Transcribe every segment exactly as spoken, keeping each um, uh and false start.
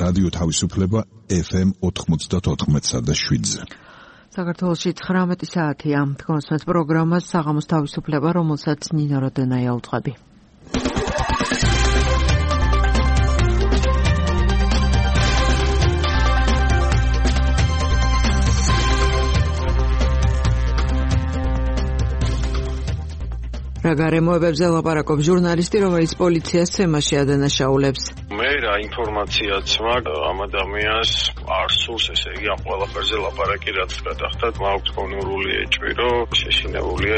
რადიო თავისუფლება ეფ ემ ოთხმოცდაოთხ და შვიდზე. საქართველოში ცხრამეტი საათია. თქვენს პროგრამას საღამოს თავისუფლება, რომელსაც ნინო როდენაია უძღვები. რა გარემოებებზე ლაპარაკობს ჟურნალისტი, რომელიც პოლიციას თემაში ადანაშაულებს. მე რა ინფორმაციაც მაქვს ამ ადამიანს არ სურს, ესე იგი ამ ყველაფერზე ლაპარაკი, რაც გადახდათ, მაქვს გონურული ეჭვი, რომ შეშინებულია.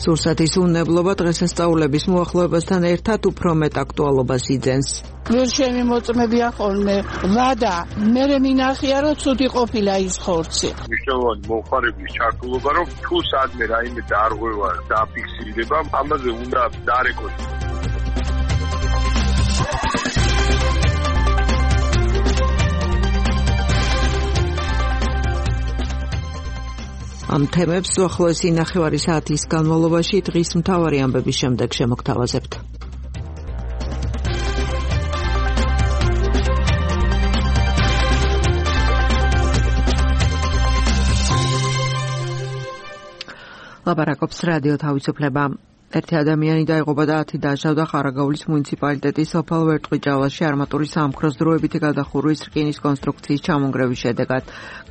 სურსათის უნებლობა დღესასწაულების მოახლოებასთან ერთად უფრო მეტ აქტუალობას იძენს. ვერ შემიმოწმებია ხოლმე ვადა, მე მინახია რომ ცუდი ყოფილა ის ხორცი. მნიშვნელოვანი მომხმარებლის ჩართულობა, რომ თუ სადმე რაიმე დარღვევა დაფიქსირდება, ამაზე უნდა დარეკოს. ამ თემებს უახლოესი ნახევარი საათის განმავლობაში დღის მთავარი ამბების შემდეგ შემოგთავაზებთ. ლაპარაკობს რადიო თავისუფლება. ერთი ადამიანი დაიღუპა და ათი დაჟავდა ხარაგაულის მუნიციპალიტეტის სოფელ ვერტყვიჭალაში არმატურის სამქროს დროებითი გადახურვის რკინის კონსტრუქციის ჩამონგრევის შედეგად.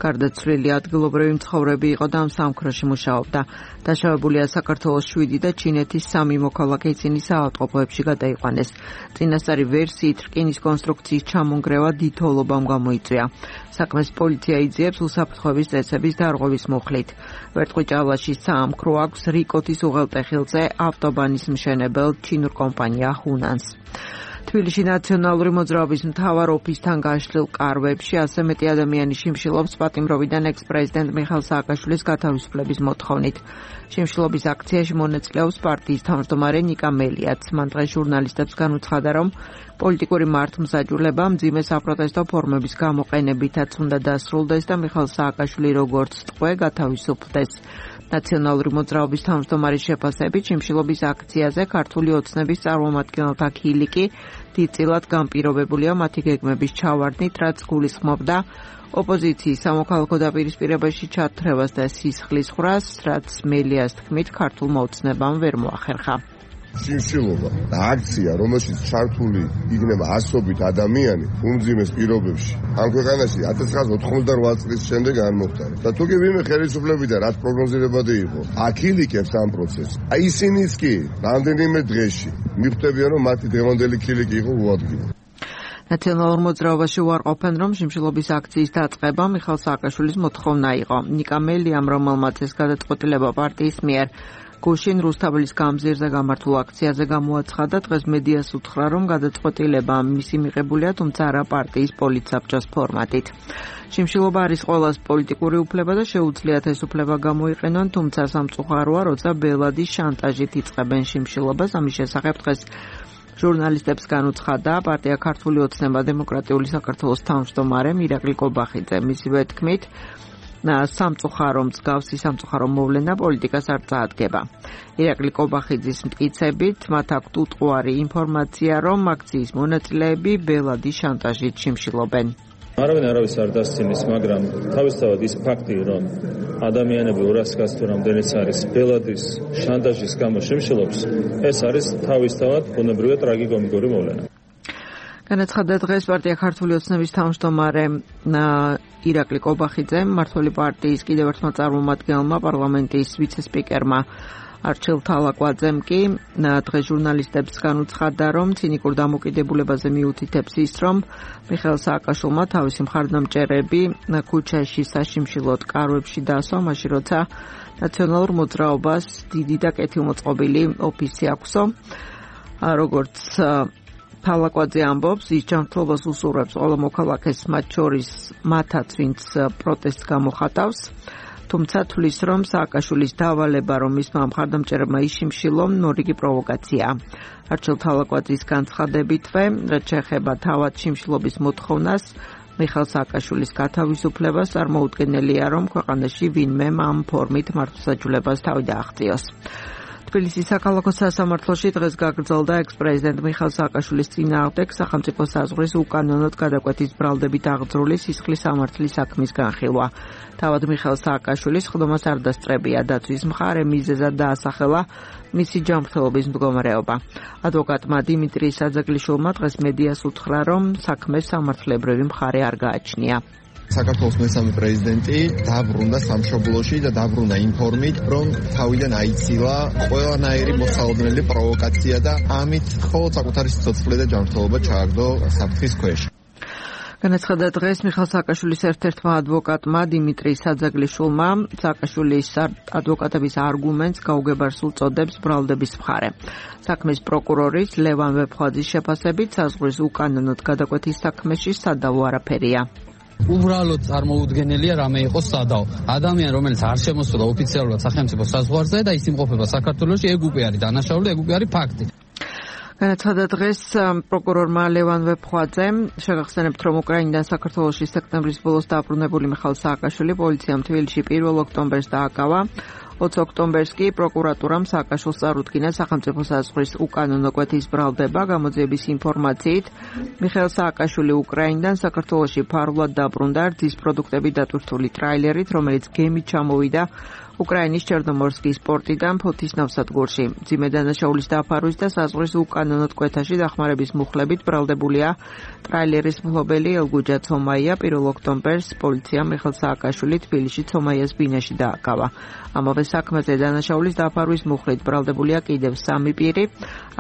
გარდაცვლილი ადგილობრივი მცხოვრები იყო და ამ სამქროში მუშაობდა. დაშავებულია საქართველოს შვიდი და ჩინეთის სამი მოქალაქე, ისინი საავადმყოფოებში გადაიყვანეს. წინასწარი ვერსიით რკინის კონსტრუქციის ჩამონგრევა დიდოლობამ გამოიწვია. საქმეს პოლიცია იძიებს უსაფრთხოების წესების დარღვევის მუხლით. ვერტყვიჭალაში საამქრო აქვს რიკოთის უღელტეხილზე ავტობანის მშენებელ ჩინურ კომპანია ჰუნანს. თბილისში ნაციონალური მოძრაობის მთავარ ოფისთან გაშლილ კარვებში ასე მეტი ადამიანი შიმშილობს პატიმროვიდან ექს-პრეზიდენტ მიხეილ სააკაშვილის გათავისუფლების მოთხოვნით. შიმშილობის აქციაში მონაწილეობს პარტიის თავმჯდომარე ნიკა მელიაც. მან დღეს ჟურნალისტებს განუცხადა, რომ პოლიტიკური მართლმსაჯულება მძიმე საპროტესტო ფორმების გამოყენებითაც უნდა დასრულდეს და მიხეილ სააკაშვილი როგორც ტყვე გათავისუფლდეს. ნაციონალური მოძრაობის თავმჯდომარის შეფასებით შიმშილობის აქციაზე ქართული ოცნების წარმომადგენელთა ხილიკი დიდწილად განპირობებულია მათი გეგმების ჩავარდნით, რაც გულისხმობდა ოპოზიციის სამოქალაქო დაპირისპირებაში ჩათრევას და სისხლის ხრას, რაც მელიას თქმით ქართულმა ოცნებამ ვერ მოახერხა. შიმშილობა და აქცია, რომელშიც ჩართული იქნება ასობით ადამიანი უმძიმეს პირობებში. ამ ქვეყანაში ათას ცხრაასი ოთხმოცდარვა წლის შემდეგ არ მოხდა. და თუ კი ვინმე ხელისუფლებიდან რაც პროგნოზირებადი იყო, აქილიკებს ამ პროცესს. აი ისინიც კი რამდენიმე დღეში მიხვდებიან, რომ მათი დღევანდელი ქილიკი იყო უადგილო. ნაციონალურ მოძრაობაში უარყოფენ, რომ შიმშილობის აქციის დაწყება მიხეილ სააკაშვილის მოთხოვნა იყო. ნიკა მელიამ, რომელმაც ეს გადაწყვეტილება პარტიის მიერ გუშინ რუსთაველის გამზირზე გამართულ აქციაზე გამოაცხადა, დღეს მედიას უთხრა, რომ გადაწყვეტილება მისი მიღებულია, თუმცა არა პარტიის პოლიტსაბჭოს ფორმატით. შიმშილობა არის ყველას პოლიტიკური უფლება და შეუძლიათ ეს უფლება გამოიყენონ, თუმცა სამწუხაროა, როცა ბელადის შანტაჟით იწყებენ შიმშილობას. ამის შესახებ დღეს ჟურნალისტებს განუცხადა პარტია ქართული ოცნება დემოკრატიული საქართველოს თავმჯდომარე ირაკლი კობახიძე. მისივე თქმით, სამწუხარო მსგავსი სამწუხარო მოვლენა პოლიტიკას არ წაადგება. ირაკლი კობახიძის მტკიცებით, მათ აქვთ უტყუარი ინფორმაცია, რომ აქციის მონაწილეები ბელადის შანტაჟით შიმშილობენ. არავინ არავის არ დასცინის, მაგრამ თავისთავად ის ფაქტი, რომ ადამიანები ორასი თუ რამდენიც არის ბელადის შანტაჟის გამო შიმშილობს, ეს არის თავისთავად ბუნებრივი ტრაგიკომიკური მოვლენა. განაცხადა დღეს პარტია ქართული ოცნების თავმჯდომარე ირაკლი კობახიძემ, მმართველი პარტიის კიდევ ერთმა წარმომადგენელმა, პარლამენტის ვიცე-სპიკერმა არჩილ თალაკვაძემ კი დღეს ჟურნალისტებს განუცხადა, რომ ცინიკურ დამოკიდებულებაზე მიუთითებს ის, რომ მიხეილ სააკაშვილმა თავისი მხარდამჭერები ქუჩაში საშიმშილოდ კარვებში დაასვა, მაშინ როცა ნაციონალურ მოძრაობას დიდი და კეთილმოწყობილი ოფისი აქვსო. როგორც თალაკვაძე ამბობს, ის ჯანმრთელობას უსურვებს ყველა მოქალაქეს, მათ შორის მათაც, ვინც პროტესტს გამოხატავს. თუმცა თვლის, რომ სააკაშვილის დავალება, რომ მისმა მხარდამჭერებმა იშიმშილონ, მორიგი პროვოკაციაა. არჩილ თალაკვაძის განცხადებითვე, რაც შეეხება თავად შიმშილობის მოთხოვნას, მიხეილ სააკაშვილის გათავისუფლებას, წარმოუდგენელია, რომ ქვეყანაში ვინმე ამ ფორმით მართლმსაჯულებას თავი დააღწიოს. თბილისის საქალაქო სასამართლოში დღეს გაგრძელდა ექს-პრეზიდენტ მიხეილ სააკაშვილის წინააღმდეგ სახელმწიფო საზღვრის უკანონოდ გადაკვეთის ბრალდებით აღძრული სისხლის სამართლის საქმის განხილვა. თავად მიხეილ სააკაშვილის ხდომას არ დასწრებია დაცვის მხარე, მიზეზად დაასახელა მისი ჯანმრთელობის მდგომარეობა. ადვოკატმა დიმიტრი საძაგლიშვილმა დღეს მედიას უთხრა, რომ საქმეს სამართლებრივი მხარე არ გააჩნია. საქართველოს მესამე პრეზიდენტი დაბრუნდა სამშობლოში და დაბრუნდა იმ ფორმით, რომ თავიდან აიცილა ყველანაირი მოსალოდნელი პროვოკაცია და ამით მხოლოდ საკუთარი სიცოცხლე და ჯანმრთელობა ჩააგდო საფრთხის ქვეშ. განაცხადა დღეს მიხეილ სააკაშვილის ერთ-ერთმა ადვოკატმა დიმიტრი საძაგლიშვილმა, სააკაშვილის ადვოკატების არგუმენტს გაუგებარს უწოდებს ბრალდების მხარე. საქმის პროკურორის ლევან ვეფხვაძის შეფასებით საზღვრის უკანონოდ გადაკვეთის საქმეში სადავო არაფერია. უბრალოდ წარმოუდგენელია რამე იყოს სადავო. ადამიანი, რომელიც არ შემოსულა ოფიციალურად სახელმწიფო საზღვარზე და ის იმყოფება საქართველოში, ეგ უკვე არის დანაშაული, ეგ უკვე არის ფაქტი. განაცხადა დღეს პროკურორმა ლევან ვეფხვაძემ, შეგახსენებთ, რომ უკრაინიდან საქართველოში სექტემბრის ბოლოს დაბრუნებული მიხეილ სააკაშვილი პოლიციამ თბილისში პირველ ოქტომბერს დააკავა. ოცი ოქტომბერს კი პროკურატურამ სააკაშვილს წარუდგინა სახელმწიფო საზღვრის უკანონო კვეთის ბრალდება. გამოძიების ინფორმაციით, მიხეილ სააკაშვილი უკრაინიდან საქართველოში ფარულად დაბრუნდა რძის პროდუქტები დატვირთული ტრაილერით, რომელიც გემით ჩამოვიდა უკრაინის ჩერნომორსკის პორტიდან ფოთის ნავსადგურში. მძიმე დანაშაულის დაფარვის და საზღვრის უკანონოდ კვეთაში დახმარების მუხლებით ბრალდებულია ტრაილერის მფლობელი ელგუჯა ცომაია. პირველ ოქტომბერს პოლიციამ მიხეილ სააკაშვილი თბილისში ცომაიას ბინაში დააკავა. ამავე საქმეზე დანაშაულის დაფარვის მუხლით ბრალდებულია კიდევ სამი პირი.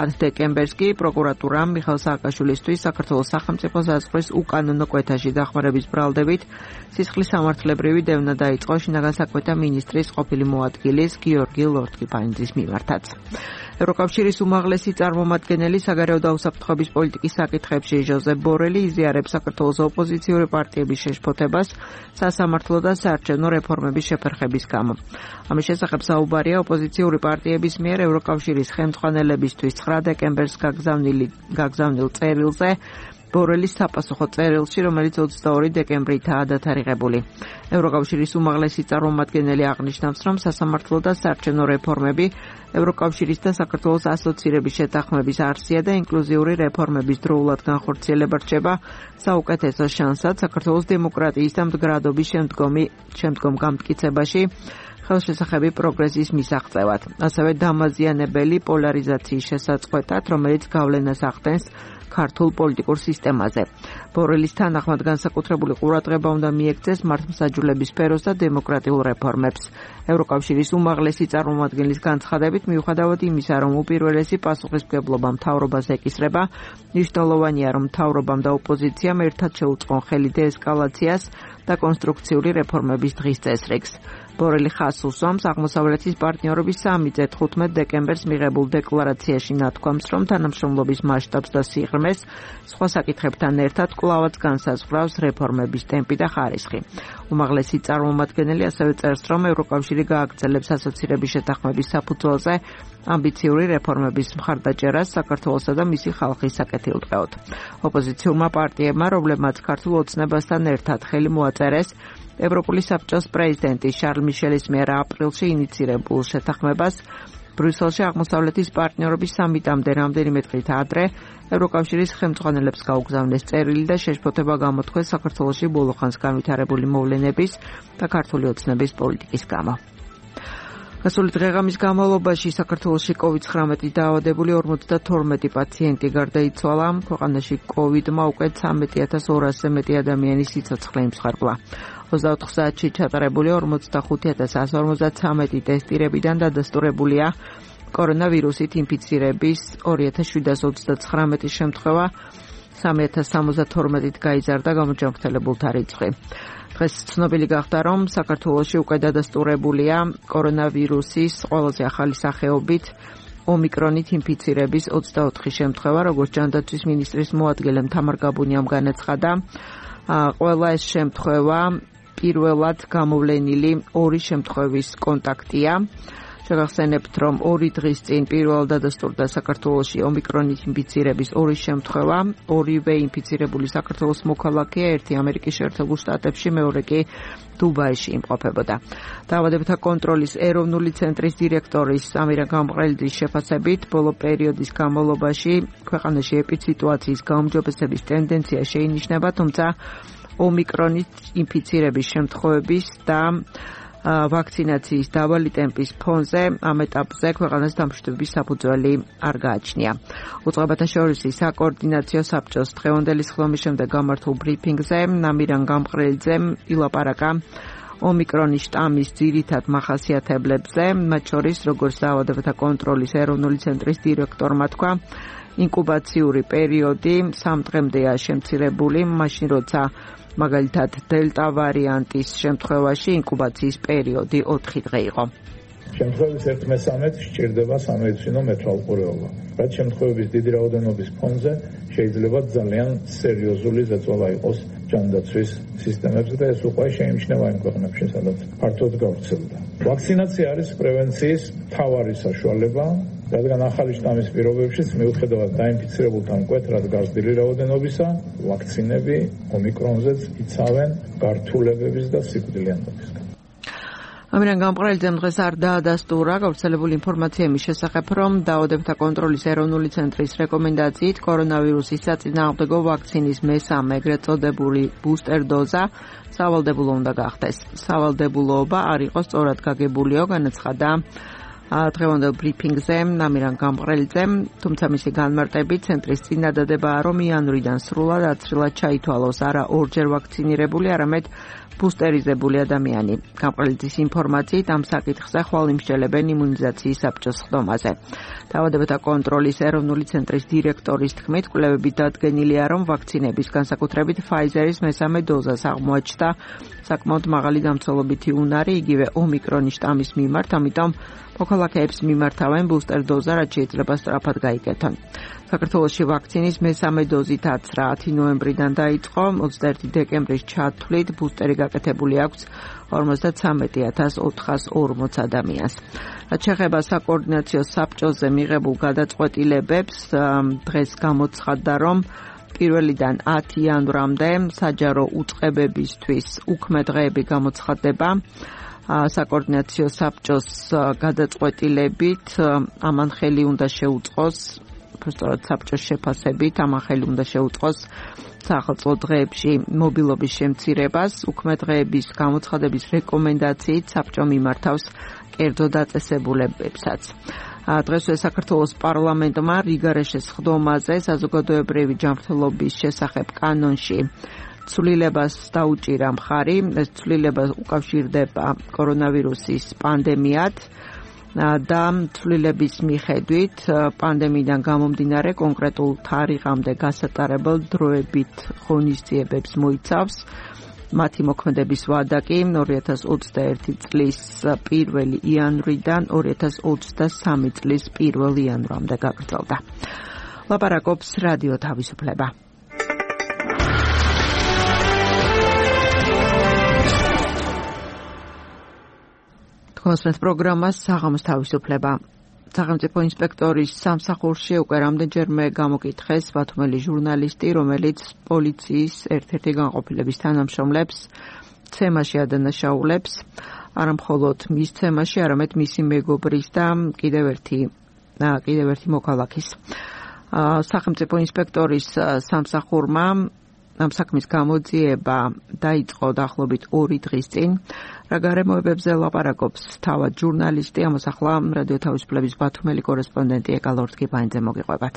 ათი დეკემბერს კი პროკურატურამ მიხეილ სააკაშვილისთვის საქართველოს სახელმწიფო საზღვრის უკანონო კვეთაში დახმარების ბრალდებით სისხლის სამართლებრივი დევნა დაიწყო შინაგან საქმეთა მინისტრის ყოფილი მოადგილის გიორგი ლორთქიფანიძის მიმართაც. ევროკავშირის უმაღლესი წარმომადგენელი საგარეო და უსაფრთხოების პოლიტიკის საკითხებში ჟოზეფ ბორელი იზიარებს საქართველოს ოპოზიციური პარტიების შეშფოთებას სასამართლო და საარჩევნო რეფორმების შეფერხების გამო. ამის შესახებ საუბარია ოპოზიციური პარტიების მიერ ევროკავშირის ხელმძღვანელებისთვის ცხრა დეკემბერს გაგზავნილ წერილზე, ბორელის საპასუხო წერილში, რომელიც ოცდაორი დეკემბრითაა დათარიღებული. ევროკავშირის უმაღლესი წარმომადგენელი აღნიშნავს, რომ სასამართლო და საარჩევნო რეფორმები ევროკავშირის და საქართველოს ასოცირების შეთანხმების არსია და ინკლუზიური რეფორმების დროულად განხორციელება რჩება საუკეთესო შანსად საქართველოს დემოკრატიის და მდგრადობის შემდგომ გამტკიცებაში ხელშესახები პროგრესის მისაღწევად. ასევე დამაზიანებელი პოლარიზაციის შესაწყვეტად, რომელიც გავლენას ახდენს ქართულ პოლიტიკურ სისტემაზე. ბორელის თანახმად განსაკუთრებული ყურადღება უნდა მიექცეს მართლმსაჯულების სფეროს და დემოკრატიულ რეფორმებს. ევროკავშირის უმაღლესი წარმომადგენლის განცხადებით, მიუხედავად იმისა, რომ უპირველესი პასუხისმგებლობა მთავრობას ეკისრება, მნიშვნელოვანია, რომ მთავრობამ და ოპოზიციამ ერთად შეუწყონ ხელი დეესკალაციას და კონსტრუქციული რეფორმების დღის წესრიგს. ბორელი ხაზს უსვამს აღმოსავლეთის პარტნიორობის სამიტზე თხუთმეტ დეკემბერს მიღებულ დეკლარაციაში ნათქვამს, რომ თანამშრომლობის მასშტაბს და სიღრმეს სხვა საკითხებთან ერთად კვლავაც განსაზღვრავს რეფორმების ტემპი და ხარისხი. უმაღლესი წარმომადგენელი ასევე წერს, რომ ევროკავშირი გააგრძელებს ასოცირების შეთანხმების საფუძველზე ამბიციური რეფორმების მხარდაჭერას საქართველოსა და მისი ხალხის საკეთილდღეოდ. ოპოზიციურმა პარტიებმა, რომლებმაც ქართულ ოცნებასთან ერთად ხელი მოაწერეს ევროპული საბჭოს პრეზიდენტის შარლ მიშელის მიერ აპრილში ინიცირებულ შეთანხმებას, ბრიუსელში აღმოსავლეთის პარტნიორობის სამიტამდე რამდენიმე დღით ადრე ევროკავშირის ხელმძღვანელებს გაუგზავნეს წერილი და შეშფოთება გამოთქვეს საქართველოში ბოლოხანს განვითარებული მოვლენების და ქართული ოცნების პოლიტიკის გამო. გასული დღეღამის განმავლობაში საქართველოში კოვიდ ცხრამეტით დაავადებული ორმოცდათორმეტი პაციენტი გარდაიცვალა. ქვეყანაში კოვიდმა უკვე ცამეტი ათას ორასზე მეტი ადამიანის სიცოცხლე იმსხვრებლა. ოცდაოთხ საათში ჩატარებული ორმოცდახუთი ათას εκατო ორმოცდათვრამეტი ტესტირებიდან დადასტურებულია კორონავირუსით ინფიცირების ორი ათას შვიდას ოცდაცხრამეტი შემთხვევა, სამი ათას სამოცდათორმეტით გაიზარდა გამოჯანმრთელებულთა რიცხვი. დღეს ცნობილი გახდა, რომ საქართველოში უკვე დადასტურებულია კორონავირუსის ყველაზე ახალი სახეობით ომიკრონით ინფიცირების ოცდაოთხი შემთხვევა, როგორც ჯანდაცვის მინისტრის მოადგილემ თამარ გაბუნიამ განაცხადა. ყველა ეს შემთხვევა პირველად გამოვლენილი ორი შემთხვევის კონტაქტია. შეგახსენებთ, რომ ორი დღის წინ პირველად დადასტურდა საქართველოში ომიკრონით ინფიცირების ორი შემთხვევა, ორივე ინფიცირებული საქართველოს მოქალაქეა, ერთი ამერიკის შეერთებულ შტატებში, მეორე კი დუბაიში იმყოფებოდა. დაავადებათა კონტროლის ეროვნული ცენტრის დირექტორის ამირან გამყრელიძის შეფასებით, ბოლო პერიოდის განმავლობაში ქვეყანაში ეპიდსიტუაციის გაუმჯობესების ტენდენცია შეინიშნება, თუმცა ომიკრონით ინფიცირების შემთხვევების და ვაქცინაციის დაბალი ტემპის ფონზე ამ ეტაპზე ქვეყანას დამშვიდობის საფუძველი არ გააჩნია. უწყებათა შორის საკოორდინაციო საბჭოს დღევანდელი სხდომის შემდეგ გამართულ ბრიფინგზე ამირან გამყრელიძემ ილაპარაკა ომიკრონის შტამის ძირითად მახასიათებლებზე, მათ შორის როგორც დაავადებათა კონტროლის ეროვნული ცენტრის დირექტორმა თქვა, ინკუბაციური პერიოდი სამ დღემდეა შემცირებული, მაშინ როცა მაგალითად დელტა ვარიანტის შემთხვევაში ინკუბაციის პერიოდი ოთხი დღე იყო. შემთხვევების ერთ მესამედს სჭირდება სამედიცინო მეთვალყურეობა. რაც შემთხვევების დიდი რაოდენობის ფონზე შეიძლება ძალიან სერიოზული ზეწოლა იყოს ჯანდაცვის სისტემებზე და ეს უკვე შეიმჩნევა იმ ქვეყნებში, სადაც ფართოდ გავრცელდა. ვაქცინაცია არის პრევენციის მთავარი საშუალება, რადგან ახალი შტამის პირობებშიც მიუხედავად დაინფიცირებულთა მკვეთრად გაზრდილი რაოდენობისა, ვაქცინები ომიკრონზეც იცავენ გართულებების და სიკვდილიანობისგან. ამირან გამყრელიძემ დღეს არ დაადასტურა გავრცელებული ინფორმაცია იმის შესახებ, რომ დაავადებათა კონტროლის ეროვნული ცენტრის რეკომენდაციით კორონავირუსის საწინააღმდეგო ვაქცინის მესამე ეგრეთ წოდებული ბუსტერ დოზა სავალდებულო უნდა გახდეს. სავალდებულოობა არ იყოს სწორად გაგებულიო, განაცხადა დღევანდელ ბრიფინგზე ამირან გამყრელიძემ, თუმცა მისი განმარტებით ცენტრის წინადადებაა, რომ იანვრიდან სრულად აცრილად ჩაითვალოს არა ორჯერ ვაქცინირებული, არამედ ბუსტერიზებული ადამიანი. გამყრელიძის ინფორმაციით ამ საკითხზე ხვალ იმსჯელებენ იმუნიზაციის საბჭოს სხდომაზე. დაავადებათა კონტროლის ეროვნული ცენტრის დირექტორის თქმით, კვლევები დადგენილია, რომ ვაქცინების განსაკუთრებით ფაიზერის მესამე დოზას აღმოაჩნდა საკმაოდ მაღალი დამცველობითი უნარი, იგივე ომიკრონის შტამის მიმართ, ამიტომ მოქალაქეებს მიმართავენ ბუსტერ დოზა, რაც შეიძლება სწრაფად გაიგეთონ. საქართველოში ვაქცინის მესამე დოზით აცრა ათი ნოემბრიდან დაიწყო, ოცდაერთი დეკემბრის ჩათვლით ბუსტერი გაკეთებული აქვს ორმოცდათრამეტი ათას ოთხას ორმოც ადამიანს. რაც შეეხება საკოორდინაციო საბჭოზე მიღებულ გადაწყვეტილებებს, დღეს გამოცხადდა, რომ პირველიდან ათი იანვრამდე საჯარო უწყებებისთვის უქმე დღეები გამოცხადდება. საკოორდინაციო საბჭოს გადაწყვეტილებით ამან ხელი უნდა შეუწყოს, უბრალოდ საბჭოს შეფასებით ამან ხელი უნდა შეუწყოს საახალწლო დღეებში მობილობის შემცირებას, უქმე დღეების გამოცხადების რეკომენდაციით საბჭო მიმართავს კერძო დაწესებულებებსაც. დღესვე საქართველოს პარლამენტმა რიგარეშეს სხდომაზე საზოგადოებრივი ჯანმრთელობის შესახებ კანონში ცვლილებას დაუჭირა მხარი. ეს ცვლილება უკავშირდება კორონავირუსის პანდემიად და ცვლილების მიხედვით პანდემიიდან გამომდინარე კონკრეტულ თარიღამდე გასატარებელ დროებით ღონისძიებებს მოიცავს. მათი მოქმედების ვადა კი ორი ათას ოცდაერთი წლის პირველი იანვრიდან ორი ათას ოცდასამი წლის პირველი იანვრამდე გაგრძელდა. ლაპარაკობს რადიო თავისუფლება. კონსერტ პროგრამას საღამოს თავისუფლება. სახელმწიფო ინსპექტორის სამსახურში უკვე რამდენჯერმე გამოკითხეს ბათუმელი ჟურნალისტი, რომელიც პოლიციის ერთ-ერთი განყოფილების თანამშრომლებს ცემაში ადანაშაულებს, არა მხოლოდ მის ცემაში, არამედ მისი მეგობრის და კიდევ ერთი კიდევ ერთი მოქალაქის. სახელმწიფო ინსპექტორის სამსახურმა ამ საქმის გამოძიება დაიწყო დაახლოებით ორი დღის წინ. რა გარემოებებზე ლაპარაკობს თავად ჟურნალისტი, ამას ახლა რადიო თავისუფლების ბათუმელი კორესპონდენტი ეკალორდ კიბაინძე მოგიყვებათ.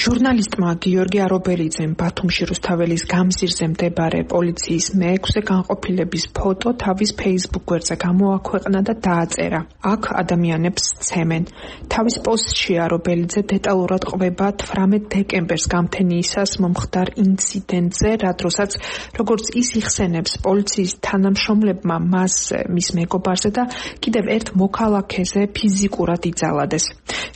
ჟურნალისტმა გიორგი არობელიძემ ბათუმში რუსთაველის გამზირზე მდებარე პოლიციის მეექვსე განყოფილების ფოტო თავის Facebook გვერდზე გამოაქვეყნა და დააწერა. აქ ადამიანებს ცემენ. თავის პოსტში არობელიძე დეტალურად ყვება თვრამეტ დეკემბერს გამთენიისას მომხდარ ინციდენტზე, რა დროსაც როგორც ის იხსენებს პოლიციის თანამშრომლებმა მას, მის მეგობარზე და კიდევ ერთ მოქალაქეზე ფიზიკურად იძალადეს.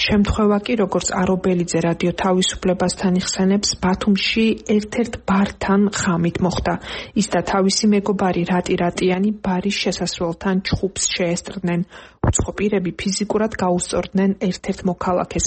შემთხვევა კი როგორც არობელიძე რადიო თავისუფლებასთან იხსენებს, ბათუმში ერთ-ერთ ბართან ხამით მოხდა. ის და თავისი მეგობარი რატი რატიანი ბარის შესასვლელთან ჩხუბს შეესწრდნენ. უცხო პირები ფიზიკურად გაუსწორდნენ ერთ-ერთ მოქალაქეს.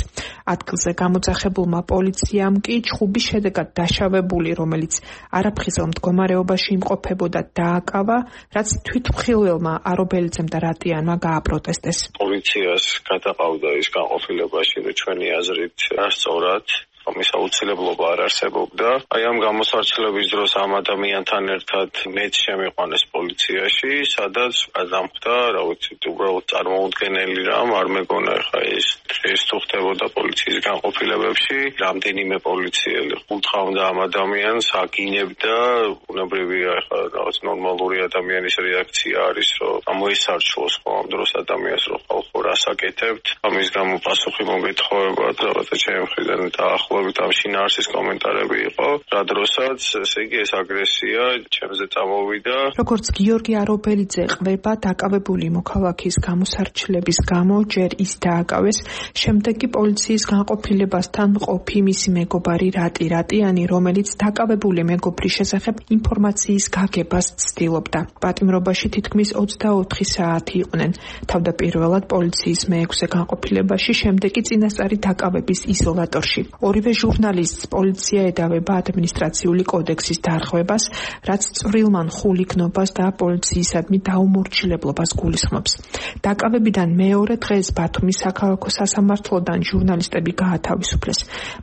ადგილზე გამოძახებულმა პოლიციამ კი ჩხუბის შედეგად დაშავებული, რომელიც არაფხიზელ მდგომარეობაში იმყოფებოდა, დააკავა, რაც თვითმხილველმა არობელიძემ და რატიანმა გააპროტესტეს. პოლიციას გადაყავდა ის განყოფილებაში, რომ ჩვენი აზრით სწორად ამის აუცილებლობა არ არსებობდა. აი ამ გამოსარჩელების დროს ამ ადამიანთან ერთად მეც შემიყვანეს პოლიციაში, სადაც გადამხდა, რა ვიცი, უბრალოდ წარმოუდგენელი რამ, არ მეგონა ხა ეს ეს თუ ხდებოდა პოლიციის განყოფილებებში, რამდენიმე პოლიციელი ხუთხავდა ამ ადამიანს, აგინებდა, უნებრივია ხა რაღაც ნორმალური ადამიანის რეაქცია არის, რომ ამოისარჩოს ამ დროს ადამიანს, რომ ხალხო რას აკეთებთ, ამის გამო პასუხი მოგეთხოვებათ, რაღაცა ჩემი მხრიდან დაახლოებით ამ შინაარსის კომენტარები იყო, რა დროსაც ესე იგი ეს აგრესია ჩემზე წამოვიდა. როგორც გიორგი არობელიძე ყვება, დაკავებული მოქალაქის გამოსარჩლების გამო ჯერ ის დააკავეს, შემდეგ კი პოლიციის განყოფილებასთან მყოფი მისი მეგობარი რატი რატიანი, რომელიც დაკავებული მეგობრის შესახებ ინფორმაციის გაგებას ცდილობდა. პატიმრობაში თითქმის ოცდაოთხი საათი იყვნენ. თავდაპირველად პოლიციის მეექვსე განყოფილებაში, შემდეგ კი წინასწარი დაკავების იზოლატორში. ორივე ჟურნალისტს პოლიცია ედავება ადმინისტრაციული კოდექსის დარღვევას, რაც წვრილმან ხულიგნობას და პოლიციისადმი დაუმორჩილებლობას გულისხმობს. დაკავებიდან მეორე დღეს ბათუმის საქალაქო სასამართლოდან ჟურნალისტები გაათავისუფლეს.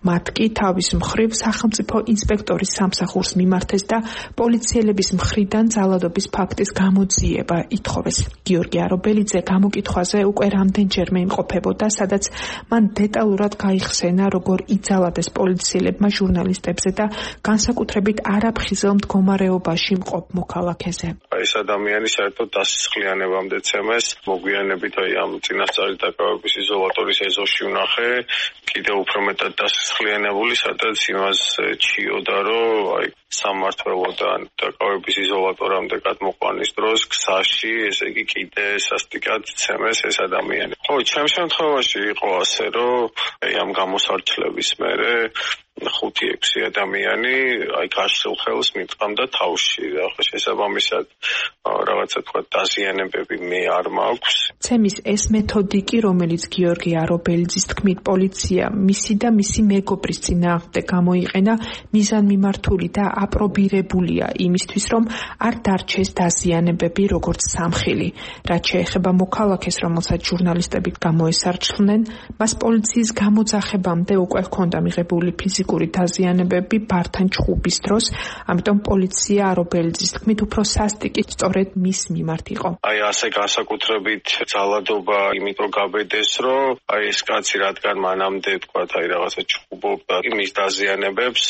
მათ კი თავის მხრივ სახელმწიფო ინსპექტორის სამსახურს მიმართეს და პოლიციელების მხრიდან ძალადობის ფაქტის გამოძიება ითხოვეს. გიორგი არობელიძე გამოკითხვაზე უკვე რამდენჯერმე იმყოფებოდა, სადაც მან დეტალურად გაიხსენა, როგორ იძალადეს პოლიციელებმა ჟურნალისტებზე და განსაკუთრებით არაფხიზელ მდგომარეობაში მყოფ მოქალაქეზე. ეს ადამიანი საერთოდ დასისხლიანებამდე ცემეს, მოგვიანებით აი ამ წინასწარი დაკავების იზოლატორის ეზოში ვნახე, კიდევ უფრო მეტად დასისხლიანებული, სადაც იმას ჩიოდა, რომ აი სამმართველოდან დაკავების იზოლატორამდე გადმოყვანის დროს გზაში, ესე იგი კიდე სასტიკად ცემეს ეს ადამიანი. ხო, ჩემ შემთხვევაში იყო ასე, რომ აი ამ გამოსარჩლების მერე ხუთი ექვსი ადამიანი აი გაშლილ ხელს მიტყამდა თავში. ახლა შესაბამისად რაღაცა თქვა დაზიანებები მე არ მაქვს. ცემის ეს მეთოდიკი, რომელიც გიორგი არობელიძის თქმით პოლიცია მისი და მისი მეგობრის წინააღმდეგ გამოიყენა, მიზანმიმართული და აპრობირებულია იმისთვის, რომ არ დარჩეს დაზიანებები როგორც სამხილი. რაც შეეხება მოქალაქეს, რომელსაც ჟურნალისტები გამოესარჩლნენ, მას პოლიციის გამოძახებამდე უკვე ჰქონდა მიღებული ფიზიკური დაზიანებები ბართან ჩხუბის დროს, ამიტომ პოლიცია არობელიძის თქმით უფრო სასტიკი სწორედ მის მიმართ იყო. აი ასე განსაკუთრებით ძალადობა იმიტომ გაბედეს, რომ აი ეს კაცი რადგან მანამდე თქვა აი რაღაცა ჩხუბობდა მის დაზიანებებს,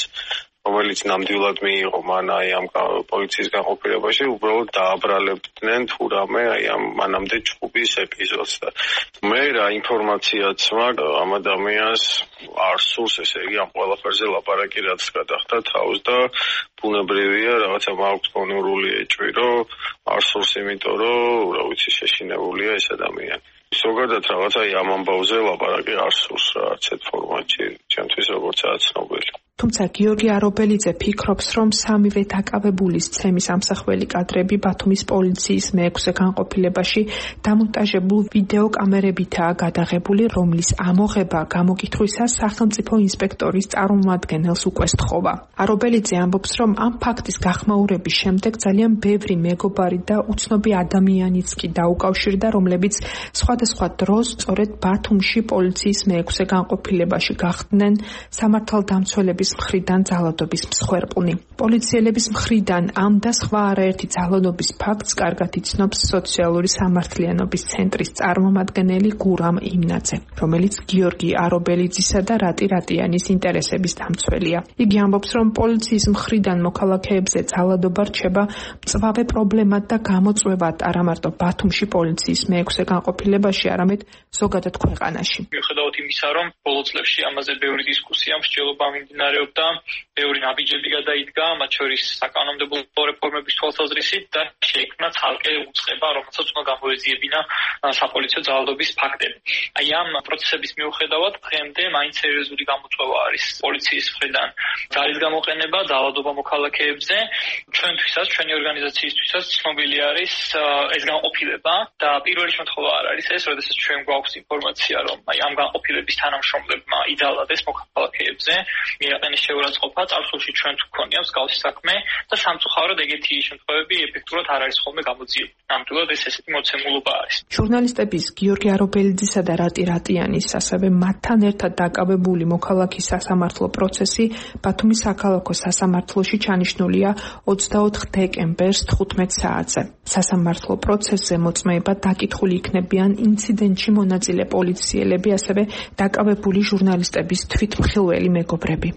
რომელიც ნამდვილად მიიღო მან აი ამ პოლიციის განყოფილებაში, უბრალოდ დააბრალებდნენ თუ რამე აი ამ მანამდე ჩხუბის ეპიზოდს და მე რა ინფორმაციაც მაქვს ამ ადამიანს არ სურს, ესე იგი ამ ყველაფერზე ლაპარაკი რაც გადახდა თავს და ბუნებრივია რაღაცა მაქვს გონურული ეჭვი, რომ არ სურს, იმიტომ რომ რა ვიცი შეშინებულია ეს ადამიანი. ზოგადად რაღაცა აი ამ ამბავზე ლაპარაკი არ სურს რა არცეთ ფორმატში, ჩემთვის როგორცაა ცნობილი. თუმცა გიორგი არობელიძე ფიქრობს, რომ სამივე დაკავებულის ცემის ამსახველი კადრები ბათუმის პოლიციის მეექვსე განყოფილებაში დამონტაჟებულ ვიდეო კამერებითაა გადაღებული, რომლის ამოღება გამოკითხვისას სახელმწიფო ინსპექტორის წარმომადგენელს უკვე სთხოვა. არობელიძე ამბობს, რომ ამ ფაქტის გახმაურების შემდეგ ძალიან ბევრი მეგობარი და უცნობი ადამიანიც კი დაუკავშირდა, რომლებიც სხვადასხვა დროს სწორედ ბათუმში პოლიციის მეექვსე განყოფილებაში გახდნენ სამართალდამცველების მხრიდან ძალადობის მსხვერპლნი. პოლიციელების მხრიდან ამ და სხვა არაერთი ძალადობის ფაქტს კარგად იცნობს სოციალური სამართლიანობის ცენტრის წარმომადგენელი გურამ იმნაძე, რომელიც გიორგი არობელიძისა და რატი რატიანის ინტერესების დამცველია. იგი ამბობს, რომ პოლიციის მხრიდან მოქალაქეებზე ძალადობა რჩება მწვავე პრობლემად და გამოწვევად არა მარტო ბათუმში პოლიციის მეექვსე განყოფილებაში, არამედ ზოგადად ქვეყანაში. მიუხედავად იმისა, რომ ბოლო წლებში ამაზე ბევრი დისკუსია, მსჯელობა მიმდინარეობს მიმდინარეობდა, ბევრი ნაბიჯები გადაიდგა, მათ შორის საკანონმდებლო რეფორმების თვალსაზრისით და შეიქმნა ცალკე უწყება, რომელსაც უნდა გამოეძიებინა საპოლიციო ძალადობის ფაქტები. აი ამ პროცესების მიუხედავად დღემდე მაინც სერიოზული გამოწვევა არის პოლიციის მხრიდან ძალის გამოყენება ძალადობა მოქალაქეებზე. ჩვენთვისაც, ჩვენი ორგანიზაციისთვისაც ცნობილი არის ეს განყოფილება და პირველი შემთხვევა არ არის ეს, როდესაც ჩვენ გვაქვს ინფორმაცია, რომ აი ამ განყოფილების თანამშრომლებმა იძალადეს მოქალაქეებზე მიაყენეს შეურაცხყოფა, წარსულში ჩვენ თუ გქონია მსგავსი საქმე და სამწუხაროდ ეგეთი შემთხვევები ეფექტურად არ არის ხოლმე გამოძიებული. ნამდვილად ეს ესეთი მოცემულობა არის. ჟურნალისტების გიორგი არობელიძისა და რატი რატიანის, ასევე მათთან ერთად დაკავებული მოქალაქის სასამართლო პროცესი ბათუმის საქალაქო სასამართლოში ჩანიშნულია ოცდაოთხ დეკემბერს თხუთმეტ საათზე. სასამართლო პროცესზე მოწმეება დაკითხული იქნებიან ინციდენტში მონაწილე პოლიციელები, ასევე დაკავებული ჟურნალისტების თვითმხილველი მეგობრები.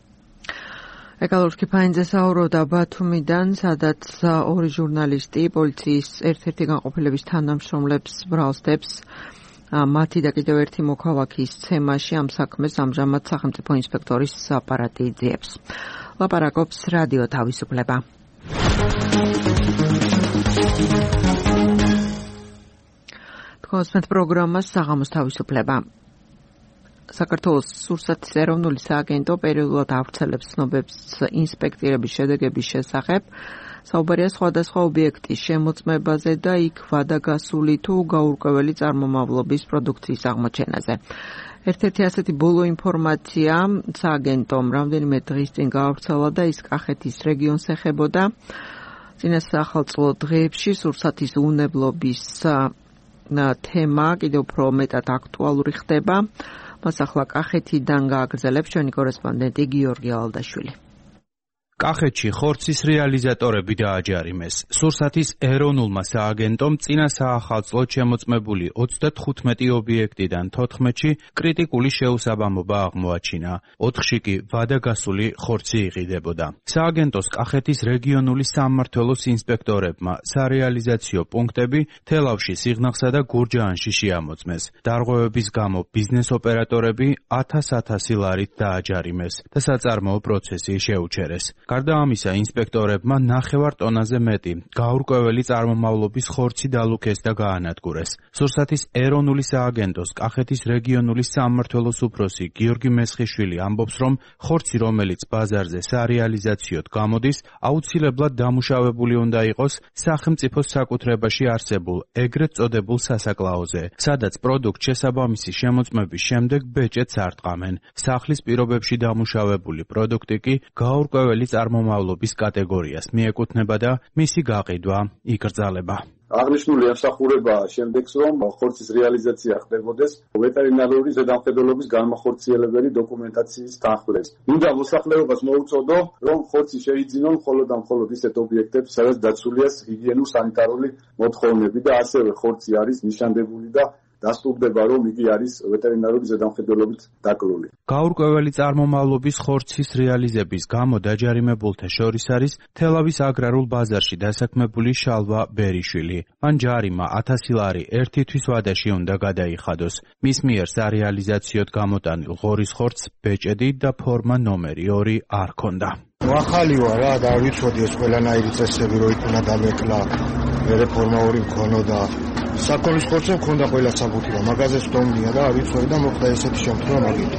ეკალურ კიფაინძე საუბრობდა ბათუმიდან, სადაც ორი ჟურნალისტი პოლიციის ერთ-ერთი განყოფილების თანამშრომლებს ბრალსდებს მათი და კიდევ ერთი მოქალაქის ცემაში. ამ საქმეს ამჟამად სახელმწიფო ინსპექტორის აპარატი იძიებს. ლაპარაკობს რადიო თავისუფლება. თქვენს პროგრამას საღამოს თავისუფლება. საქართველოს სურსათის ეროვნული სააგენტო პერიოდულად ავრცელებს ცნობებს ინსპექტირების შედეგების შესახებ. საუბარია სხვადასხვა ობიექტის შემოწმებაზე და იქ ვადაგასული თუ გაურკვეველი წარმომავლობის პროდუქციის აღმოჩენაზე. ერთ-ერთი ასეთი ბოლო ინფორმაცია სააგენტომ რამდენიმე დღის წინ გაავრცელა და ის კახეთის რეგიონს ეხებოდა. წინასახელწლო დღეებში სურსათის უვნებლობის თემა კიდევ უფრო მეტად აქტუალური ხდება. მას ახლა კახეთიდან გააგრძელებს ჩვენი კორესპონდენტი გიორგი ალდაშვილი. კახეთში ხორცის რეალიზატორები დააჯარიმეს. სურსათის ეროვნულმა სააგენტომ წინა საახალწლოდ შემოწმებული ოცდათხუთმეტი ობიექტიდან თოთხმეტში კრიტიკული შეუსაბამობა აღმოაჩინა. ოთხში კი ვადაგასული ხორცი იყიდებოდა. სააგენტოს კახეთის რეგიონული სამმართველოს ინსპექტორებმა სარეალიზაციო პუნქტები თელავში, სიღნაღსა და გურჯაანში შეამოწმეს. დარღვევების გამო ბიზნეს ოპერატორები ათას-ათასი ლარით დააჯარიმეს და საწარმოო პროცესი შეუჩერეს. გარდა ამისა, ინსპექტორებმა ნახევარ ტონაზე მეტი გაურკვეველი წარმომავლობის ხორცი დალუქეს და გაანადგურეს. სურსათის ეროვნული სააგენტოს კახეთის რეგიონული სამმართველოს უფროსი გიორგი მესხიშვილი ამბობს, რომ ხორცი, რომელიც ბაზარზე სარეალიზაციოდ გამოდის, აუცილებლად დამუშავებული უნდა იყოს სახელმწიფოს საკუთრებაში არსებულ ეგრეთ წოდებულ სასაკლაოზე, სადაც პროდუქტ შესაბამისი შემოწმების შემდეგ ბეჭედს არტყამენ. სახლის პირობებში დამუშავებული პროდუქტი კი გაურკვეველი წარმომავლობის კატეგორიას მიეკუთვნება და მისი გაყიდვა იკრძალება. აღნიშნული ემსახურება შემდეგს, რომ ხორცის რეალიზაცია ხდებოდეს ვეტერინარული ზედამხედველობის განმახორციელებელი დოკუმენტაციის თანხლებს. მინდა მოსახლეობას მოუწოდო, რომ ხორცი შეიძინონ მხოლოდ და მხოლოდ ისეთ ობიექტებს, სადაც დაცულია ჰიგიენურ-სანიტარული მოთხოვნები და ასევე ხორცი არის ნიშანდებული და დასტურდება, რომ იგი არის ვეტერინარული ზედამხედველობით დაკლული. გაურკვეველი წარმომავლობის ხორცის რეალიზების გამო დაჯარიმებულთა შორის არის თელავის აგრარულ ბაზარში დასაქმებული შალვა ბერიშვილი. მან ჯარიმა ათასი ლარი ერთი თვის ვადაში უნდა გადაიხადოს. მის მიერ სარეალიზაციოდ გამოტანილ ღორის ხორცს ბეჭედი და ფორმა ნომერი ორი არ ჰქონდა. ახალი ვარ რა და ვიცოდი ეს ყველანაირი წესები რო იქ უნდა დამეკლა, რეფორმა ორი მქონოდა. საკონის ხორცი მქონდა ყველა საბუთი და მაღაზიას ვდომდია და არ ვიცოდი და მოხდა ესეთი შემთხვევა მაგითი.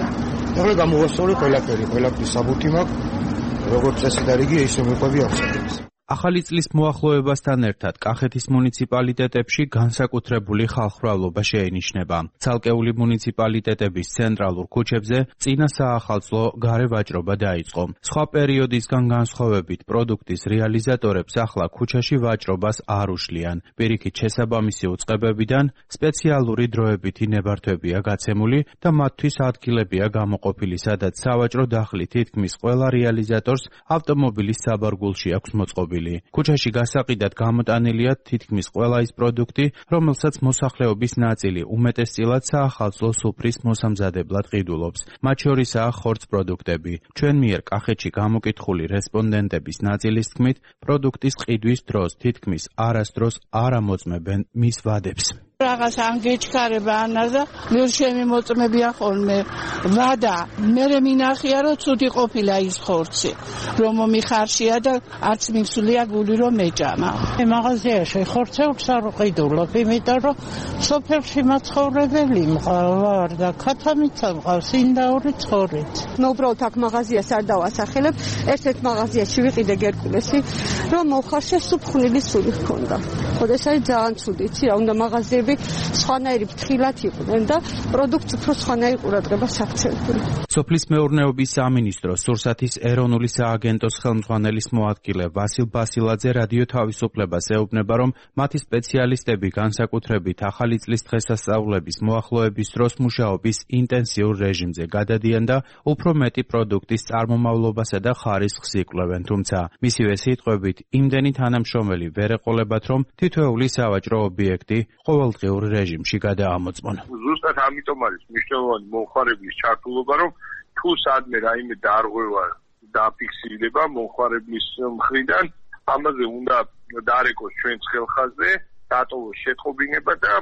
ეხლა გამოვასწორი ყველაფერი, ყველაფრის საბუთი მაქვს, როგორც წესი და რიგი ისე მიყვები აღსადებს. ახალი წლის მოახლოებასთან ერთად კახეთის მუნიციპალიტეტებში განსაკუთრებული ხალხმრავლობა შეინიშნება. ცალკეული მუნიციპალიტეტების ცენტრალურ ქუჩებზე წინა საახალწლო გარე ვაჭრობა დაიწყო. სხვა პერიოდისგან განსხვავებით პროდუქტის რეალიზატორებს ახლა ქუჩაში ვაჭრობას არ უშლიან. პირიქით შესაბამისი უწყებებიდან სპეციალური დროებითი ნებართვებია გაცემული და მათთვის ადგილებია გამოყოფილი, სადაც სავაჭრო დახლი თითქმის ყველა რეალიზატორს ავტომობილის საბარგულში აქვს მოწყობილი. ქუჩაში გასაყიდად გამოტანილია თითქმის ყველა ის პროდუქტი, რომელსაც მოსახლეობის ნაწილი უმეტესწილად საახალწლო სუფრის მოსამზადებლად ყიდულობს. მათ შორისაა ხორც პროდუქტები. ჩვენ მიერ კახეთში გამოკითხული რესპონდენტების ნაწილის თქმით, პროდუქტის ყიდვის დროს თითქმის არასდროს არ ამოწმებენ მის ვადებს. რაღაც ანგეჩქარება ანაზა ვერ შემიმოწმებია ხოლმე ვადა მე მინახია რომ ცუდი ყოფილა ის ხორცი რომ მომიხარშია და არც მისულია გული რომ მეჭამა მაღაზიაში ხორცებს არ ყიდულობ იმიტომ რომ სოფელში მაცხოვრებელი მყავარ და ქათამიც მყავს ინდაური ცხოვრით მე უბრალოდ აქ მაღაზიას არ დავასახელებ ერთ-ერთ მაღაზიაში ვიყიდე გერკულესი რომ მოხარშე სუფხნილი სული ჰქონდა ხოდა ეს არის ძალიან ცუდი იცი რა უნდა მაღაზიები სხვანაირი ფრთხილად იყვნენ და პროდუქტი უფრო სხვანაირი ყურადღებას აქცევდნენ. სოფლის მეურნეობის სამინისტროს სურსათის ეროვნული სააგენტოს ხელმძღვანელის მოადგილე ვასილ ბასილაძე რადიო თავისუფლებას ეუბნება, რომ მათი სპეციალისტები განსაკუთრებით ახალი წლის დღესასწაულების მოახლოების დროს მუშაობის ინტენსიურ რეჟიმზე გადადიან და უფრო მეტი პროდუქტის წარმომავლობასა და ხარისხს იკვლევენ, თუმცა მისივე სიტყვებით იმდენი თანამშრომელი ვერ ეყოლებათ, რომ თითოეული სავაჭრო ობიექტი ყოველდღიურ რეჟიმში გადაამოწმონ. ზუსტად ამიტომ არის მნიშვნელოვანი მომხმარებლის ჩართულობა, რომ თუ სადმე რაიმე დარღვევა დაფიქსირდება მომხმარებლის მხრიდან, ამაზე უნდა დარეკოს ჩვენს ხელხაზზე, დატოვოს შეტყობინება და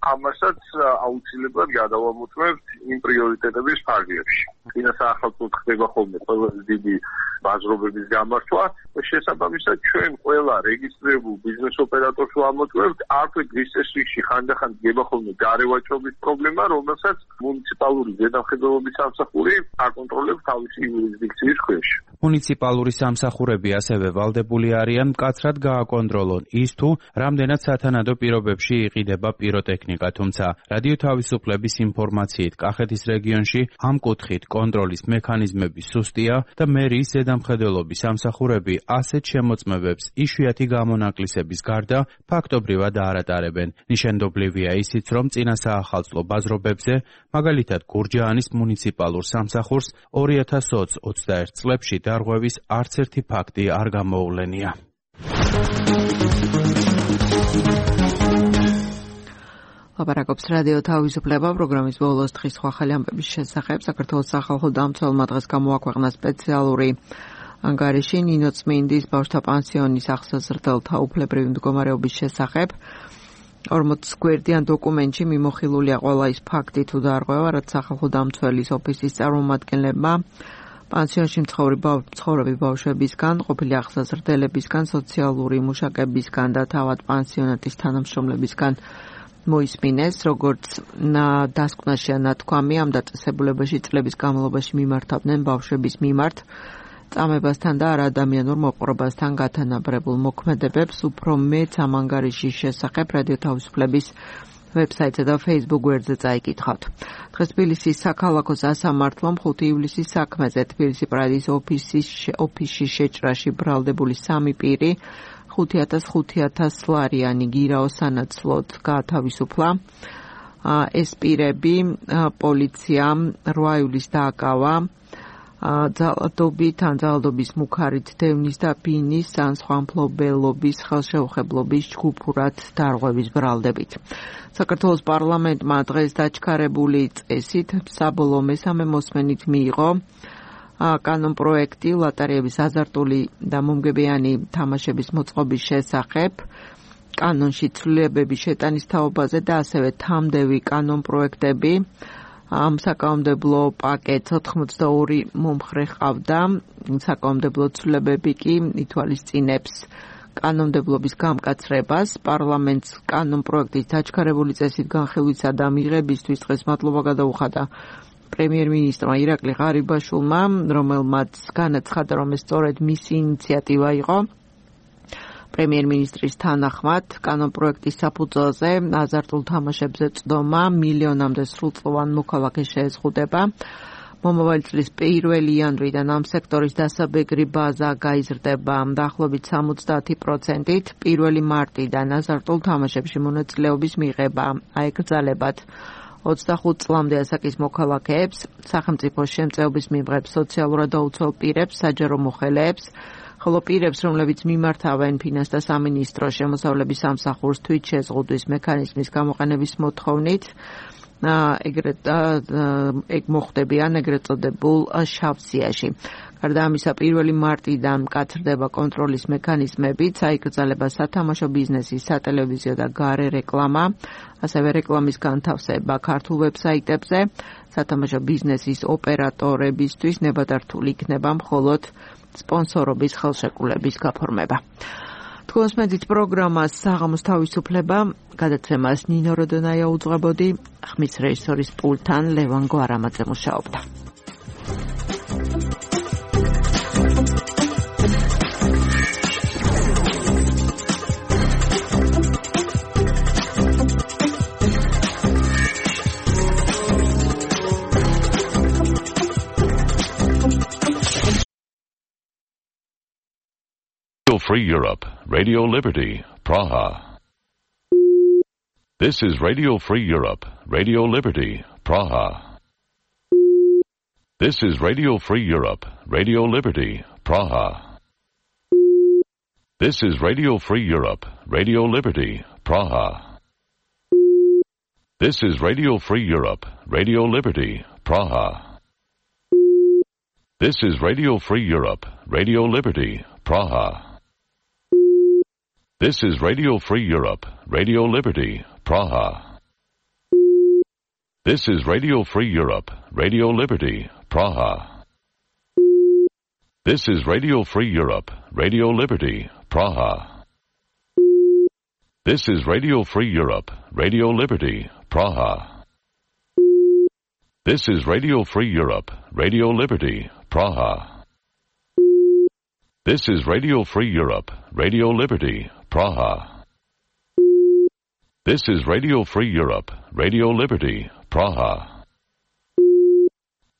ამასაც აუცილებლად გადავამოწმებთ იმ პრიორიტეტების ფარგლებში. წინა საახალწლოდ ხდება ხოლმე ყველაზე დიდი ბაზრობების გამართვა და შესაბამისად ჩვენ ყველა რეგისტრირებულ ბიზნეს ოპერატორს ვამოწმებთ აქვე დღის წესრიგში ხანდახან დგება ხოლმე გარევაჭრობის პრობლემა, რომელსაც მუნიციპალური ზედამხედველობის სამსახური აკონტროლებს თავისი იურისდიქციის ქვეშ. მუნიციპალური სამსახურები ასევე ვალდებული არიან მკაცრად გააკონტროლონ ის თუ რამდენად სათანადო პირობებში იყიდება პიროტექნიკა, თუმცა რადიო თავისუფლების ინფორმაციით კახეთის რეგიონში ამ კუთხით კონტროლის მექანიზმები სუსტია და მერიის ზედამხედველობის სამსახურები ასეთ შემოწმებებს იშვიათი გამონაკლისების გარდა ფაქტობრივად არ ატარებენ. ნიშანდობლივია ისიც, რომ წინა საახალწლო ბაზრობებზე, მაგალითად გურჯაანის მუნიციპალურ სამსახურს ორი ათას ოცდაერთ წლებში დარღვევის არც ერთი ფაქტი არ გამოუვლენია. ლაპარაკობს რადიო თავისუფლება პროგრამის ბოლოს დღის სხვა ხელი ამბების შესახებ. საქართველოს სახალხო დამცველმა დღეს გამოაქვეყნა სპეციალური ანგარიში ნინო წმინდის ბავშვთა პანსიონის ახსოზრდელთა უფლებრივი მდგომარეობის შესახებ. ორმოც გვერდიან დოკუმენტში მიმოხილულია ყველა ის ფაქტი თუ დარღვევა, რაც სახალხო დამცველის ოფისის წარმომადგენლებმა პანსიონში მცხოვრები ბავშვებისგან, ყოფილი ახსაზრდელებისგან, სოციალური მუშაკებისგან და თავად პანსიონატის თანამშრომლებისგან მოისმინეს, როგორც დასკვნაშია ნათქვამი, ამ დაწესებულებაში წლების განმავლობაში მიმართავდნენ ბავშვების მიმართ წამებასთან და არადამიანურ მოპყრობასთან გათანაბრებულ მოქმედებებს. უფრო მეც ამ ანგარიშის შესახებ რადიო თავისუფლების ვებსაიტსა და Facebook გვერდზე წაიკითხავთ. დღეს თბილისის საქალაქო სასამართლომ ხუთი ივლისის საქმეზე თბილისი პრაიდის ოფისში შეჭრაში ბრალდებული სამი პირი ხუთი ათას ხუთი ათას ლარიანი გირაო სანაცვლოდ გაათავისუფლა. ეს პირები პოლიციამ რვა ივლისს დააკავა ძალადობით ან ძალადობის მუქარით დევნის და ბინის ან სხვა მფლობელობის ხელშეუხებლობის ჯგუფურად დარღვევის ბრალდებით. საქართველოს პარლამენტმა დღეს დაჩქარებული წესით საბოლოო მესამე მოსმენით მიიღო კანონპროექტი ლოტარეების აზარტული და მომგებიანი თამაშების მოწყობის შესახებ, კანონში ცვლილებების შეტანის თაობაზე და ასევე თამდევი კანონპროექტები. ამ საკანონმდებლო პაკეტს ოთხმოცდაორი მომხრე ყავდა. საკანონმდებლო ცვლილებები კი ითვალისწინებს კანონმდებლობის გამკაცრებას. პარლამენტს კანონპროექტის დაჩქარებული წესით განხილვისა და მიღებისთვის დღეს მადლობა გადაუხადა პრემიერ-მინისტრმა ირაკლი ღარიბაშვილმა, რომელმაც განაცხადა, რომ ეს სწორედ მისი ინიციატივა იყო. პრემიერ-მინისტრის თანახმად კანონპროექტის საფუძველზე აზარტულ თამაშებზე წდომა მილიონამდე სრულწლოვან მოქალაქეს შეეზღუდება. მომავალი წლის პირველი იანვრიდან ამ სექტორის დასაბეგრი ბაზა გაიზრდება დაახლოებით სამოცდაათი პროცენტით. პირველი მარტიდან აზარტულ თამაშებში მონაწილეობის მიღება აეკრძალებათ ოცდახუთ წლამდე ასაკის მოქალაქეებს, სახელმწიფოს შემწეობის მიღებს, სოციალურად დაუცველ პირებს, საჯარო მოხელეებს, ხოლო პირებს, რომლებიც მიმართავენ ფინანსთა სამინისტროს შემოსავლების სამსახურს თვით შეზღუდვის მექანიზმის გამოყენების მოთხოვნით, ეგრეთ ეგ მოხდებიან ეგრეთ წოდებულ შავ სიაში. გარდა ამისა, პირველი მარტიდან მკაცრდება კონტროლის მექანიზმებით, საიკრძალება სათამაშო ბიზნესის, სატელევიზიო და გარე რეკლამა, ასევე რეკლამის განთავსება ქართულ ვებსაიტებზე, სათამაშო ბიზნესის ოპერატორებისთვის ნებადართული იქნება მხოლოდ სპონსორობის ხელშეკრულების გაფორმება. თქვენს მედით პროგრამას საღამოს თავისუფლება, გადაცემას ნინო როდონაია უძღვებოდი, ხმის რეჟისორის პულტთან ლევან გვარამაძე მუშაობდა. Free Europe, Radio Liberty, Praha. This is Radio Free Europe, Radio Liberty, Praha. This is Radio Free Europe, Radio Liberty, Praha. This is Radio Free Europe, Radio Liberty, Praha. This is Radio Free Europe, Radio Liberty, Praha. This is Radio Free Europe, Radio Liberty, Praha. This is Radio Free Europe, Radio Liberty, Praha. This is Radio Free Europe, Radio Liberty, Praha. This is Radio Free Europe, Radio Liberty, Praha. This is Radio Free Europe, Radio Liberty, Praha. This is Radio Free Europe, Radio Liberty, Praha. This is Radio Free Europe, Radio Liberty, Praha. This is Radio Free Europe, Radio Liberty, Praha. This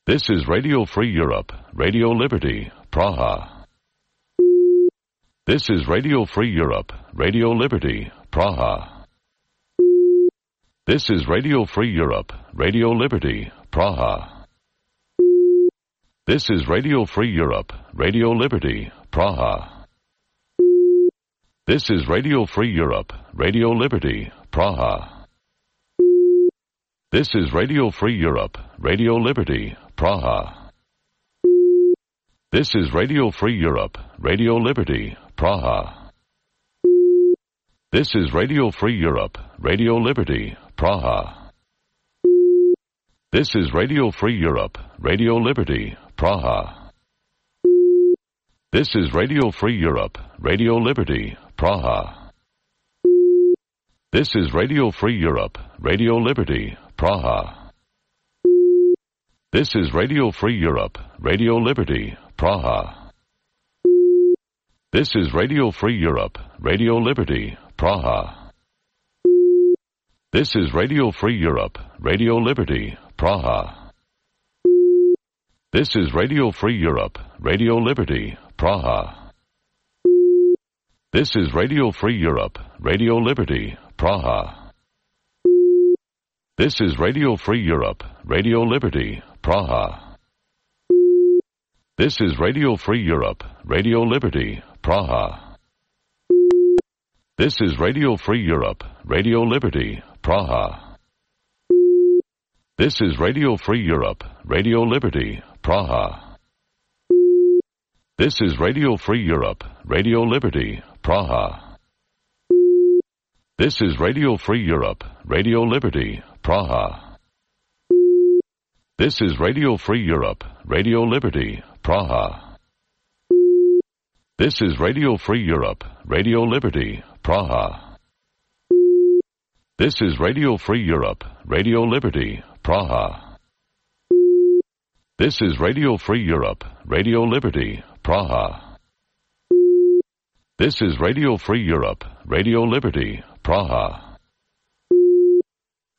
is Radio Free Europe, Radio Liberty, Praha. This is Radio Free Europe, Radio Liberty, Praha. This is Radio Free Europe, Radio Liberty, Praha. This is Radio Free Europe, Radio Liberty, Praha. This is Radio Free Europe, Radio Liberty, Praha. This is Radio Free Europe, Radio Liberty, Praha. This is Radio Free Europe, Radio Liberty, Praha. This is Radio Free Europe, Radio Liberty, Praha. This is Radio Free Europe, Radio Liberty, Praha. This is Radio Free Europe, Radio Liberty, Praha. This is Radio Free Europe, Radio Liberty, Praha. This is Radio Free Europe, Radio Liberty, Praha. This is Radio Free Europe, Radio Liberty, Praha. This is Radio Free Europe, Radio Liberty, Praha. This is Radio Free Europe, Radio Liberty, Praha. This is Radio Free Europe, Radio Liberty, Praha. This is Radio Free Europe, Radio Liberty, Praha. This is Radio Free Europe, Radio Liberty, Praha. This is Radio Free Europe, Radio Liberty, Praha. This is Radio Free Europe, Radio Liberty, Praha. This is Radio Free Europe, Radio Liberty, Praha. This is Radio Free Europe, Radio Liberty, Praha. This is Radio Free Europe, Radio Liberty, Praha. This is Radio Free Europe, Radio Liberty, Praha. This is Radio Free Europe, Radio Liberty, Praha. This is Radio Free Europe, Radio Liberty, Praha. This is Radio Free Europe, Radio Liberty, Praha.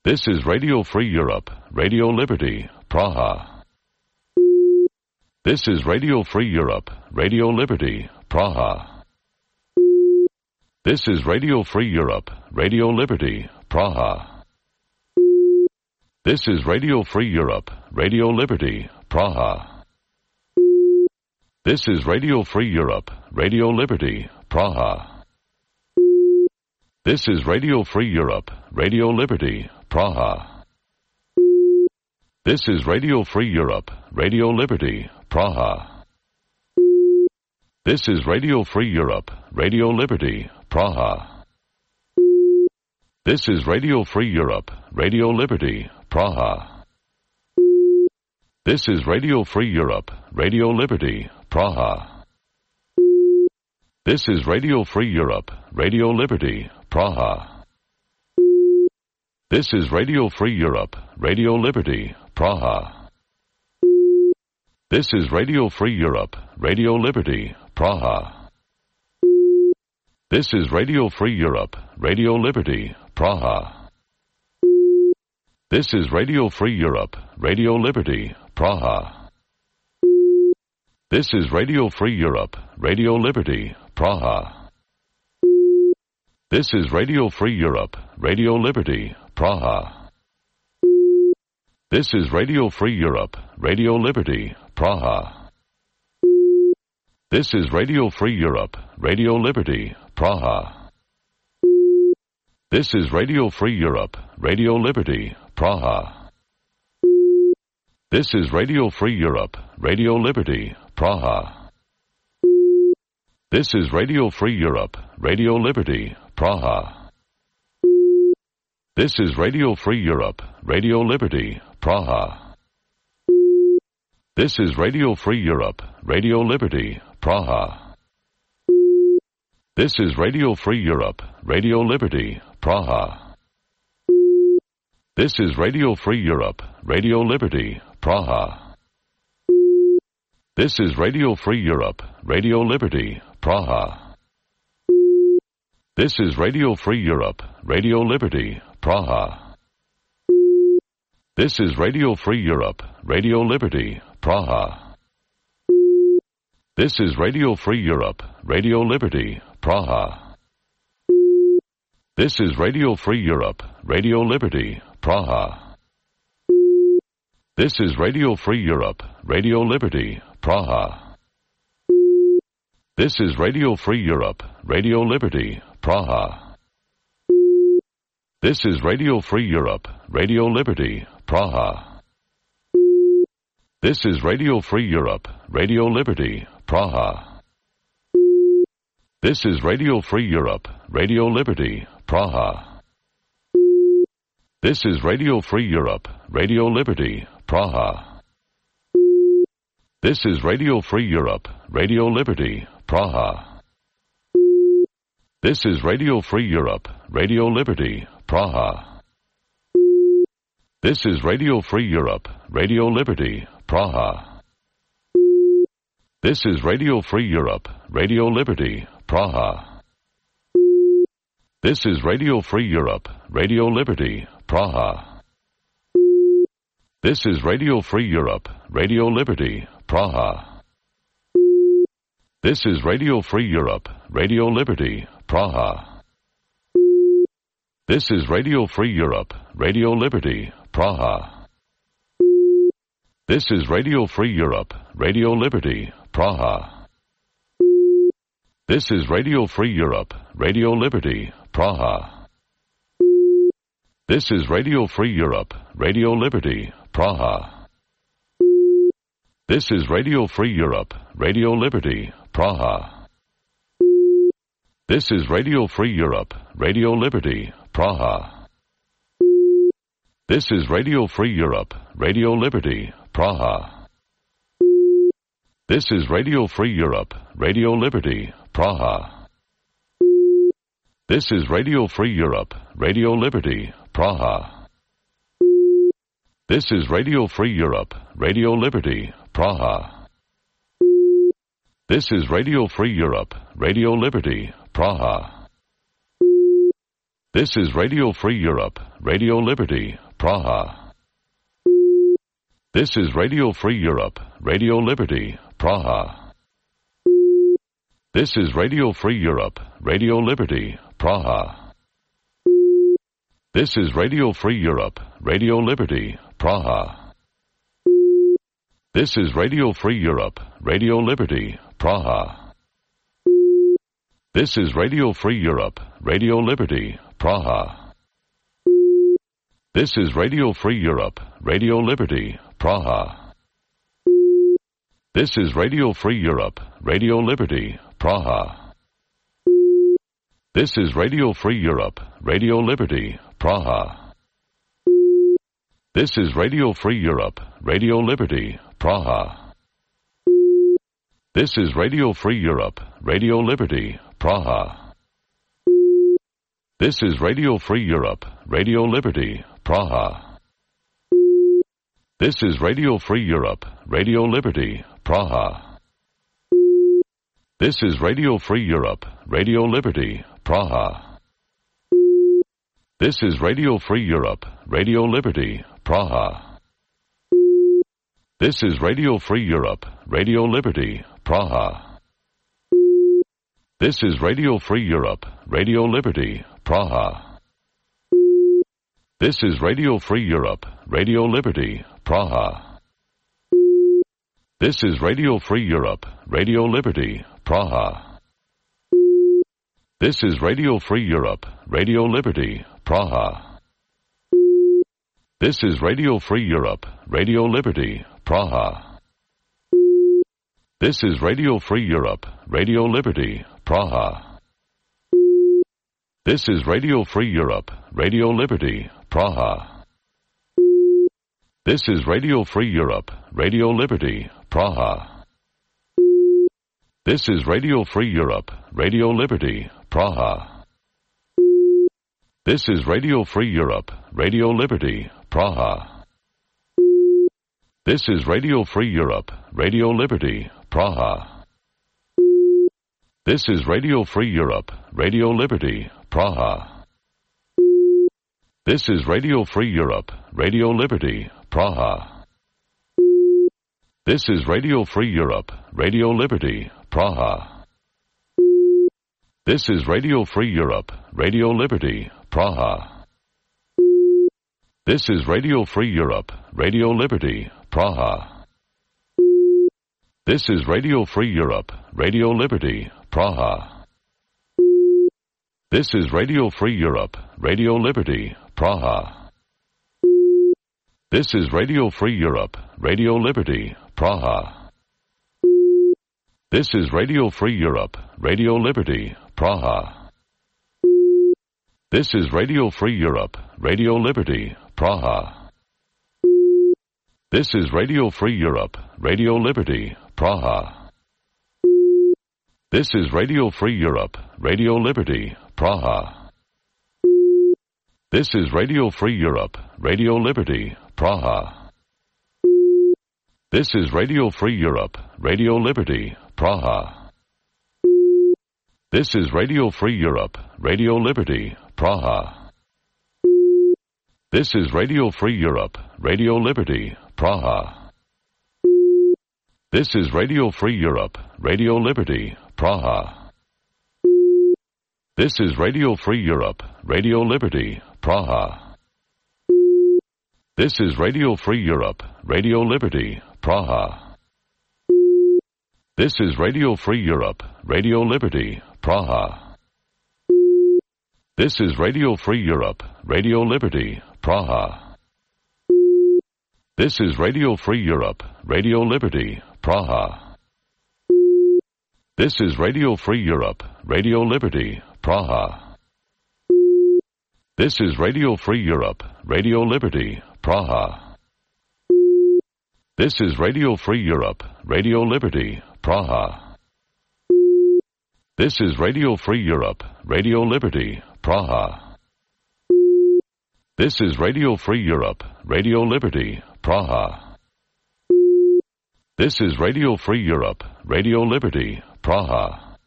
This is Radio Free Europe, Radio Liberty, Praha. This is Radio Free Europe, Radio Liberty, Praha. This is Radio Free Europe, Radio Liberty, Praha. This is Radio Free Europe, Radio Liberty, Praha. This is Radio Free Europe, Radio Liberty, Praha. This is Radio Free Europe, Radio Liberty, Praha. This is Radio Free Europe, Radio Liberty, Praha. This is Radio Free Europe, Radio Liberty, Praha. This is Radio Free Europe, Radio Liberty, Praha. This is Radio Free Europe, Radio Liberty, Praha. This is Radio Free Europe, Radio Liberty, Praha. This is Radio Free Europe, Radio Liberty, Praha. This is Radio Free Europe, Radio Liberty, Praha. This is Radio Free Europe, Radio Liberty, Praha. This is Radio Free Europe, Radio Liberty, Praha. This is Radio Free Europe, Radio Liberty, Praha. This is Radio Free Europe, Radio Liberty, Praha. This is Radio Free Europe, Radio Liberty, Praha. This is Radio Free Europe, Radio Liberty, Praha. This is Radio Free Europe, Radio Liberty, Praha. This is Radio Free Europe, Radio Liberty, Praha. This is Radio Free Europe, Radio Liberty, Praha. This is Radio Free Europe, Radio Liberty, Praha. This is Radio Free Europe, Radio Liberty, Praha. This is Radio Free Europe, Radio Liberty, Praha. This is Radio Free Europe, Radio Liberty, Praha. This is Radio Free Europe, Radio Liberty, Praha. This is Radio Free Europe, Radio Liberty, Praha. This is Radio Free Europe, Radio Liberty, Praha. This is Radio Free Europe, Radio Liberty, Praha. This is Radio Free Europe, Radio Liberty, Praha. This is Radio Free Europe, Radio Liberty, Praha. This is Radio Free Europe, Radio Liberty, Praha. This is Radio Free Europe, Radio Liberty, Praha. This is Radio Free Europe, Radio Liberty, Praha. This is Radio Free Europe, Radio Liberty, Praha. This is Radio Free Europe, Radio Liberty, Praha. This is Radio Free Europe, Radio Liberty, Praha. This is Radio Free Europe, Radio Liberty, Praha. This is Radio Free Europe, Radio Liberty, Praha. This is Radio Free Europe, Radio Liberty, Praha. This is Radio Free Europe, Radio Liberty, Praha. This is Radio Free Europe, Radio Liberty, Praha. This is Radio Free Europe, Radio Liberty, Praha. This is Radio Free Europe, Radio Liberty, Praha. This is Radio Free Europe, Radio Liberty, Praha. This is Radio Free Europe, Radio Liberty, Praha. This is Radio Free Europe, Radio Liberty, Praha. This is Radio Free Europe, Radio Liberty, Praha. This is Radio Free Europe, Radio Liberty, Praha. This is Radio Free Europe, Radio Liberty, Praha. This is Radio Free Europe, Radio Liberty, Praha. This is Radio Free Europe, Radio Liberty, Praha. This is Radio Free Europe, Radio Liberty, Praha. This is Radio Free Europe, Radio Liberty, Praha. This is Radio Free Europe, Radio Liberty, Praha. This is Radio Free Europe, Radio Liberty, Praha. This is Radio Free Europe, Radio Liberty, Praha. This is Radio Free Europe, Radio Liberty, Praha. This is Radio Free Europe, Radio Liberty, Praha. This is Radio Free Europe, Radio Liberty, Praha. This is Radio Free Europe, Radio Liberty, Praha. This is Radio Free Europe, Radio Liberty, Praha. This is Radio Free Europe, Radio Liberty, Praha. This is Radio Free Europe, Radio Liberty, Praha. This is Radio Free Europe, Radio Liberty, Praha. This is Radio Free Europe, Radio Liberty, Praha. This is Radio Free Europe, Radio Liberty, Praha. This is Radio Free Europe, Radio Liberty, Praha. This is Radio Free Europe, Radio Liberty, Praha. This is Radio Free Europe, Radio Liberty, Praha. This is Radio Free Europe, Radio Liberty, Praha. This is Radio Free Europe, Radio Liberty, Praha. This is Radio Free Europe, Radio Liberty, Praha. This is Radio Free Europe, Radio Liberty, Praha. This is Radio Free Europe, Radio Liberty, Praha. This is Radio Free Europe, Radio Liberty, Praha. This is Radio Free Europe, Radio Liberty, Praha. This is Radio Free Europe, Radio Liberty, Praha. This is Radio Free Europe, Radio Liberty, Praha. This is Radio Free Europe, Radio Liberty, Praha. This is Radio Free Europe, Radio Liberty, Praha. This is Radio Free Europe, Radio Liberty, Praha. This is Radio Free Europe, Radio Liberty, Praha. This is Radio Free Europe, Radio Liberty, Praha. This is Radio Free Europe, Radio Liberty, Praha. This is Radio Free Europe, Radio Liberty, Praha. This is Radio Free Europe, Radio Liberty, Praha. This is Radio Free Europe, Radio Liberty, Praha. This is Radio Free Europe, Radio Liberty, Praha. This is Radio Free Europe, Radio Liberty, Praha. This is Radio Free Europe, Radio Liberty, Praha. This is Radio Free Europe, Radio Liberty, Praha. This is Radio Free Europe, Radio Liberty, Praha. This is Radio Free Europe, Radio Liberty, Praha. This is Radio Free Europe, Radio Liberty, Praha. This is Radio Free Europe, Radio Liberty, Praha. This is Radio Free Europe, Radio Liberty, Praha. This is Radio Free Europe, Radio Liberty, Praha. This is Radio Free Europe, Radio Liberty, Praha. This is Radio Free Europe, Radio Liberty, Praha. This is Radio Free Europe, Radio Liberty, Praha. This is Radio Free Europe, Radio Liberty, Praha. This is Radio Free Europe, Radio Liberty, Praha. This is Radio Free Europe, Radio Liberty, Praha. This is Radio Free Europe, Radio Liberty, Praha. This is Radio Free Europe, Radio Liberty, Praha. This is Radio Free Europe, Radio Liberty, Praha. This is Radio Free Europe, Radio Liberty, Praha. This is Radio Free Europe, Radio Liberty, Praha.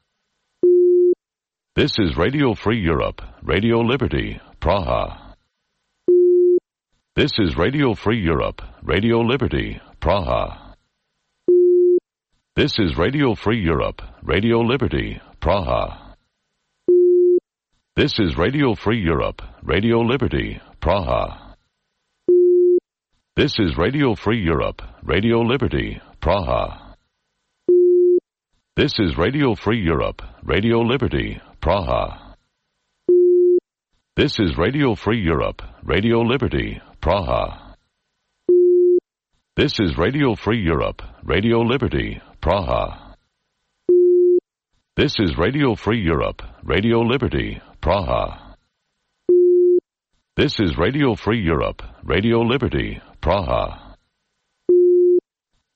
This is Radio Free Europe, Radio Liberty, Praha. This is Radio Free Europe, Radio Liberty, Praha. This is Radio Free Europe, Radio Liberty, Praha. This is Radio Free Europe, Radio Liberty, Praha. This is Radio Free Europe, Radio Liberty, Praha. This is Radio Free Europe, Radio Liberty, Praha. This is Radio Free Europe, Radio Liberty, Praha. This is Radio Free Europe, Radio Liberty, Praha. This is Radio Free Europe, Radio Liberty, Praha. This is Radio Free Europe, Radio Liberty, Praha.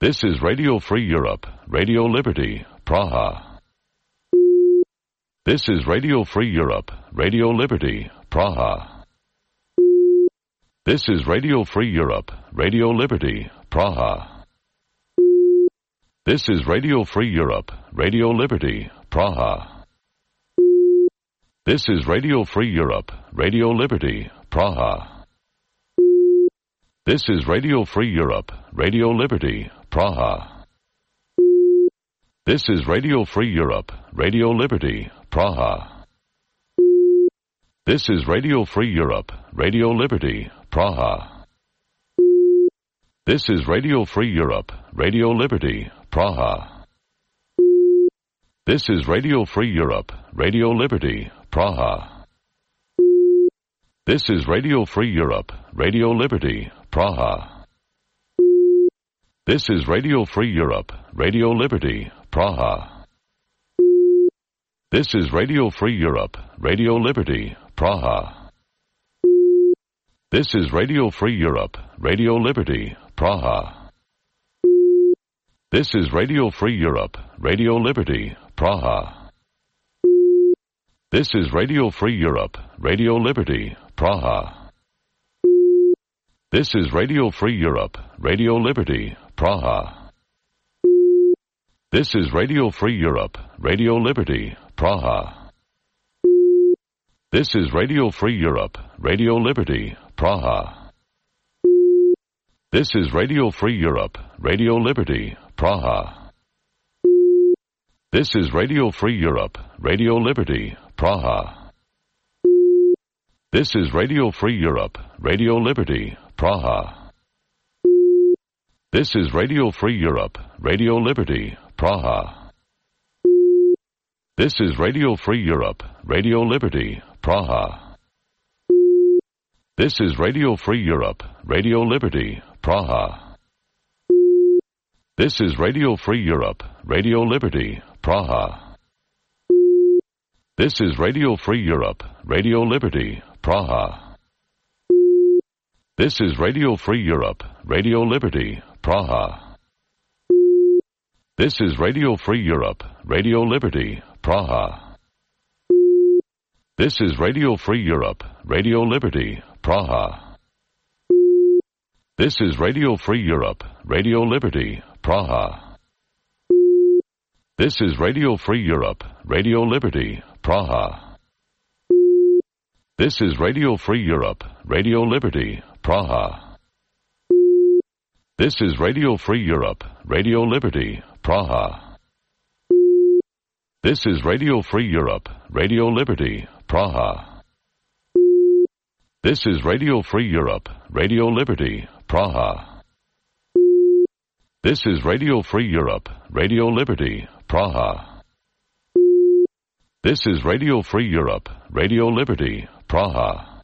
This is Radio Free Europe, Radio Liberty, Praha. This is Radio Free Europe, Radio Liberty, Praha. This is Radio Free Europe, Radio Liberty, Praha. This is Radio Free Europe, Radio Liberty, Praha. This is Radio Free Europe, Radio Liberty, Praha. This is Radio Free Europe, Radio Liberty, Praha. This is Radio Free Europe, Radio Liberty, Praha. This is Radio Free Europe, Radio Liberty, Praha. This is Radio Free Europe, Radio Liberty, Praha. This is Radio Free Europe, Radio Liberty, Praha. This is Radio Free Europe, Radio Liberty, Praha. This is Radio Free Europe, Radio Liberty, Praha. This is Radio Free Europe, Radio Liberty, Praha. This is Radio Free Europe, Radio Liberty, Praha. This is Radio Free Europe, Radio Liberty, Praha. This is Radio Free Europe, Radio Liberty, Praha. This is Radio Free Europe, Radio Liberty, Praha. This is Radio Free Europe, Radio Liberty, Praha. This is Radio Free Europe, Radio Liberty, Praha. This is Radio Free Europe, Radio Liberty, Praha. This is Radio Free Europe, Radio Liberty, Praha. This is Radio Free Europe, Radio Liberty, Praha. This is Radio Free Europe, Radio Liberty, Praha. This is Radio Free Europe, Radio Liberty, Praha. This is Radio Free Europe, Radio Liberty, Praha. This is Radio Free Europe, Radio Liberty, Praha. This is Radio Free Europe, Radio Liberty, Praha. This is Radio Free Europe, Radio Liberty, Praha. This is Radio Free Europe, Radio Liberty, Praha. This is Radio Free Europe, Radio Liberty, Praha. This is Radio Free Europe, Radio Liberty, Praha. This is Radio Free Europe, Radio Liberty, Praha. This is Radio Free Europe, Radio Liberty, Praha. This is Radio Free Europe, Radio Liberty, Praha. This is Radio Free Europe, Radio Liberty, Praha. This is Radio Free Europe, Radio Liberty, Praha. This is Radio Free Europe, Radio Liberty, Praha. This is Radio Free Europe, Radio Liberty, Praha.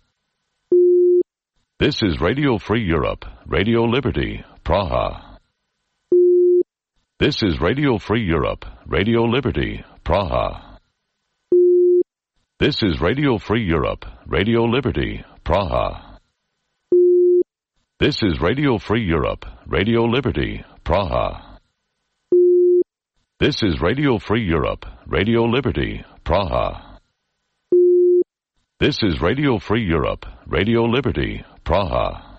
This is Radio Free Europe, Radio Liberty, Praha. This is Radio Free Europe, Radio Liberty, Praha. This is Radio Free Europe, Radio Liberty, Praha. This is Radio Free Europe, Radio Liberty, Praha. This is Radio Free Europe, Radio Liberty, Praha. This is Radio Free Europe, Radio Liberty, Praha.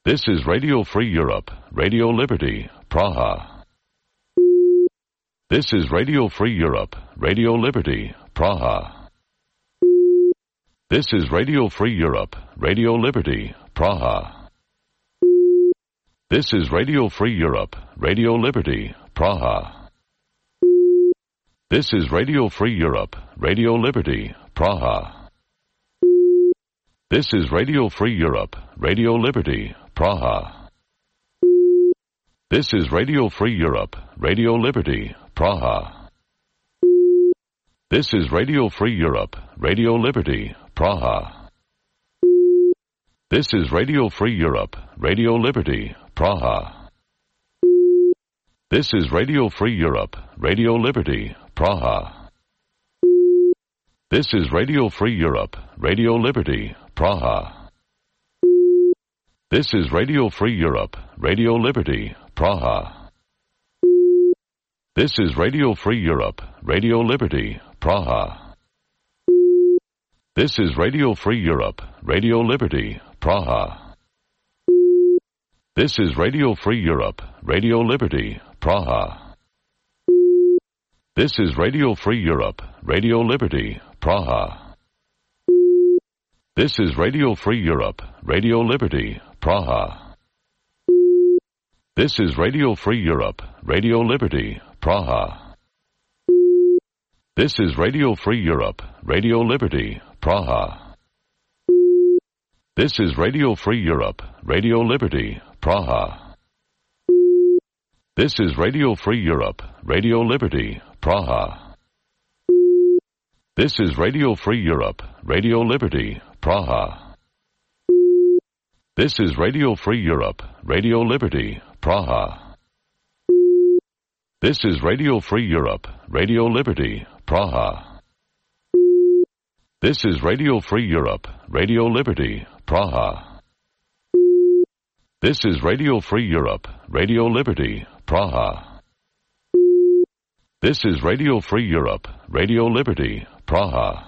This is Radio Free Europe, Radio Liberty, Praha. This is Radio Free Europe, Radio Liberty, Praha. This is Radio Free Europe, Radio Liberty, Praha. This is Radio Free Europe, Radio Liberty, Praha. This is Radio Free Europe, Radio Liberty, Praha. This is Radio Free Europe, Radio Liberty, Praha. This is Radio Free Europe, Radio Liberty, Praha. This is Radio Free Europe, Radio Liberty, Praha. This is Radio Free Europe, Radio Liberty, Praha. This is Radio Free Europe, Radio Liberty, Praha. This is Radio Free Europe, Radio Liberty, Praha. This is Radio Free Europe, Radio Liberty, Praha. This is Radio Free Europe, Radio Liberty, Praha. This is Radio Free Europe, Radio Liberty, Praha. This is Radio Free Europe, Radio Liberty, Praha. This is Radio Free Europe, Radio Liberty, Praha. This is Radio Free Europe, Radio Liberty, Praha. This is Radio Free Europe, Radio Liberty, Praha. This is Radio Free Europe, Radio Liberty, Praha. This is Radio Free Europe, Radio Liberty, Praha. This is Radio Free Europe, Radio Liberty, Praha. This is Radio Free Europe, Radio Liberty, Praha. This is Radio Free Europe, Radio Liberty, Praha. This is Radio Free Europe, Radio Liberty, Praha. This is Radio Free Europe, Radio Liberty, Praha. This is Radio Free Europe, Radio Liberty, Praha. This is Radio Free Europe, Radio Liberty, Praha.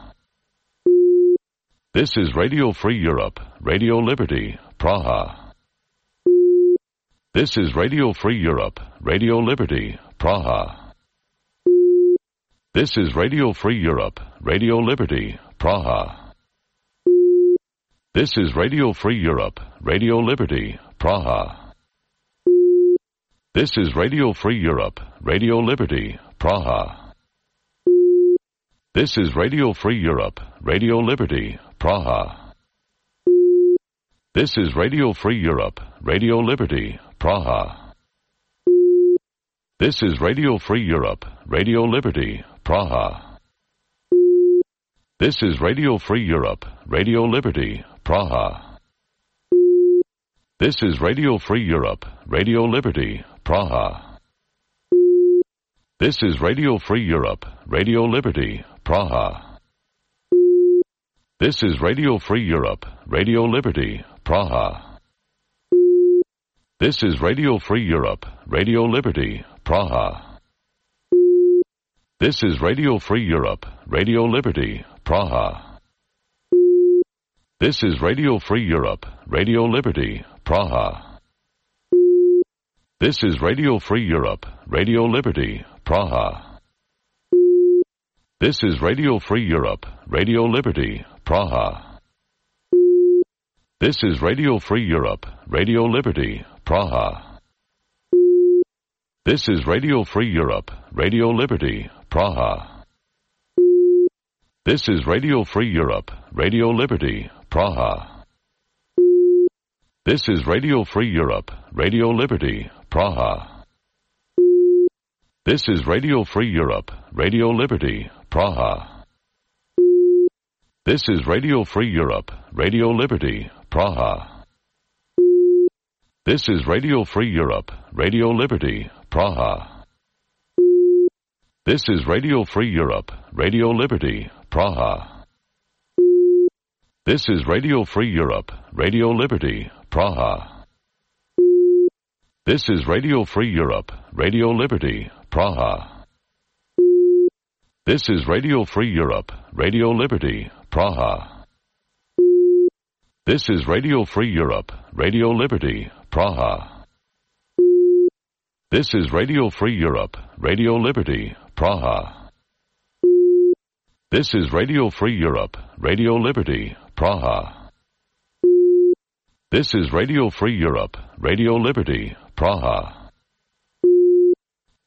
This is Radio Free Europe, Radio Liberty, Praha. This is Radio Free Europe, Radio Liberty, Praha. This is Radio Free Europe, Radio Liberty, Praha. This is Radio Free Europe, Radio Liberty, Praha. This is Radio Free Europe, Radio Liberty, Praha. This is Radio Free Europe, Radio Liberty, Praha. This is Radio Free Europe, Radio Liberty, Praha. This is Radio Free Europe, Radio Liberty, Praha. This is Radio Free Europe, Radio Liberty, Praha. This is Radio Free Europe, Radio Liberty, Praha. This is Radio Free Europe, Radio Liberty, Praha. This is Radio Free Europe, Radio Liberty, Praha. This is Radio Free Europe, Radio Liberty, Praha. This is Radio Free Europe, Radio Liberty, Praha. This is Radio Free Europe, Radio Liberty, Praha. This is Radio Free Europe, Radio Liberty, Praha. This is Radio Free Europe, Radio Liberty, Praha. This is Radio Free Europe, Radio Liberty, Praha. This is Radio Free Europe, Radio Liberty, Praha. This is Radio Free Europe, Radio Liberty, Praha. This is Radio Free Europe, Radio Liberty, Praha. This is Radio Free Europe, Radio Liberty, Praha. This is Radio Free Europe, Radio Liberty, Praha. This is Radio Free Europe, Radio Liberty, Praha. This is Radio Free Europe, Radio Liberty, Praha. This is Radio Free Europe, Radio Liberty, Praha. This is Radio Free Europe, Radio Liberty, Praha. This is Radio Free Europe, Radio Liberty, Praha. This is Radio Free Europe, Radio Liberty, Praha. This is Radio Free Europe, Radio Liberty, Praha. This is Radio Free Europe, Radio Liberty, Praha. This is Radio Free Europe, Radio Liberty, Praha.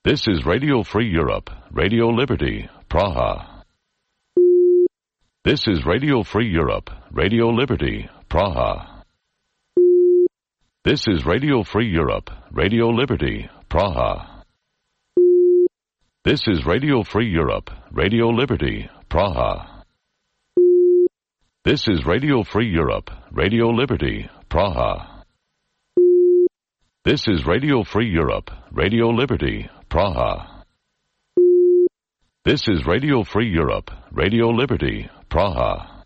This is Radio Free Europe, Radio Liberty, Praha. This is Radio Free Europe, Radio Liberty, Praha. This is Radio Free Europe, Radio Liberty, Praha. This is Radio Free Europe, Radio Liberty, Praha. This is Radio Free Europe, Radio Liberty, Praha. This is Radio Free Europe, Radio Liberty, Praha. This is Radio Free Europe, Radio Liberty, Praha.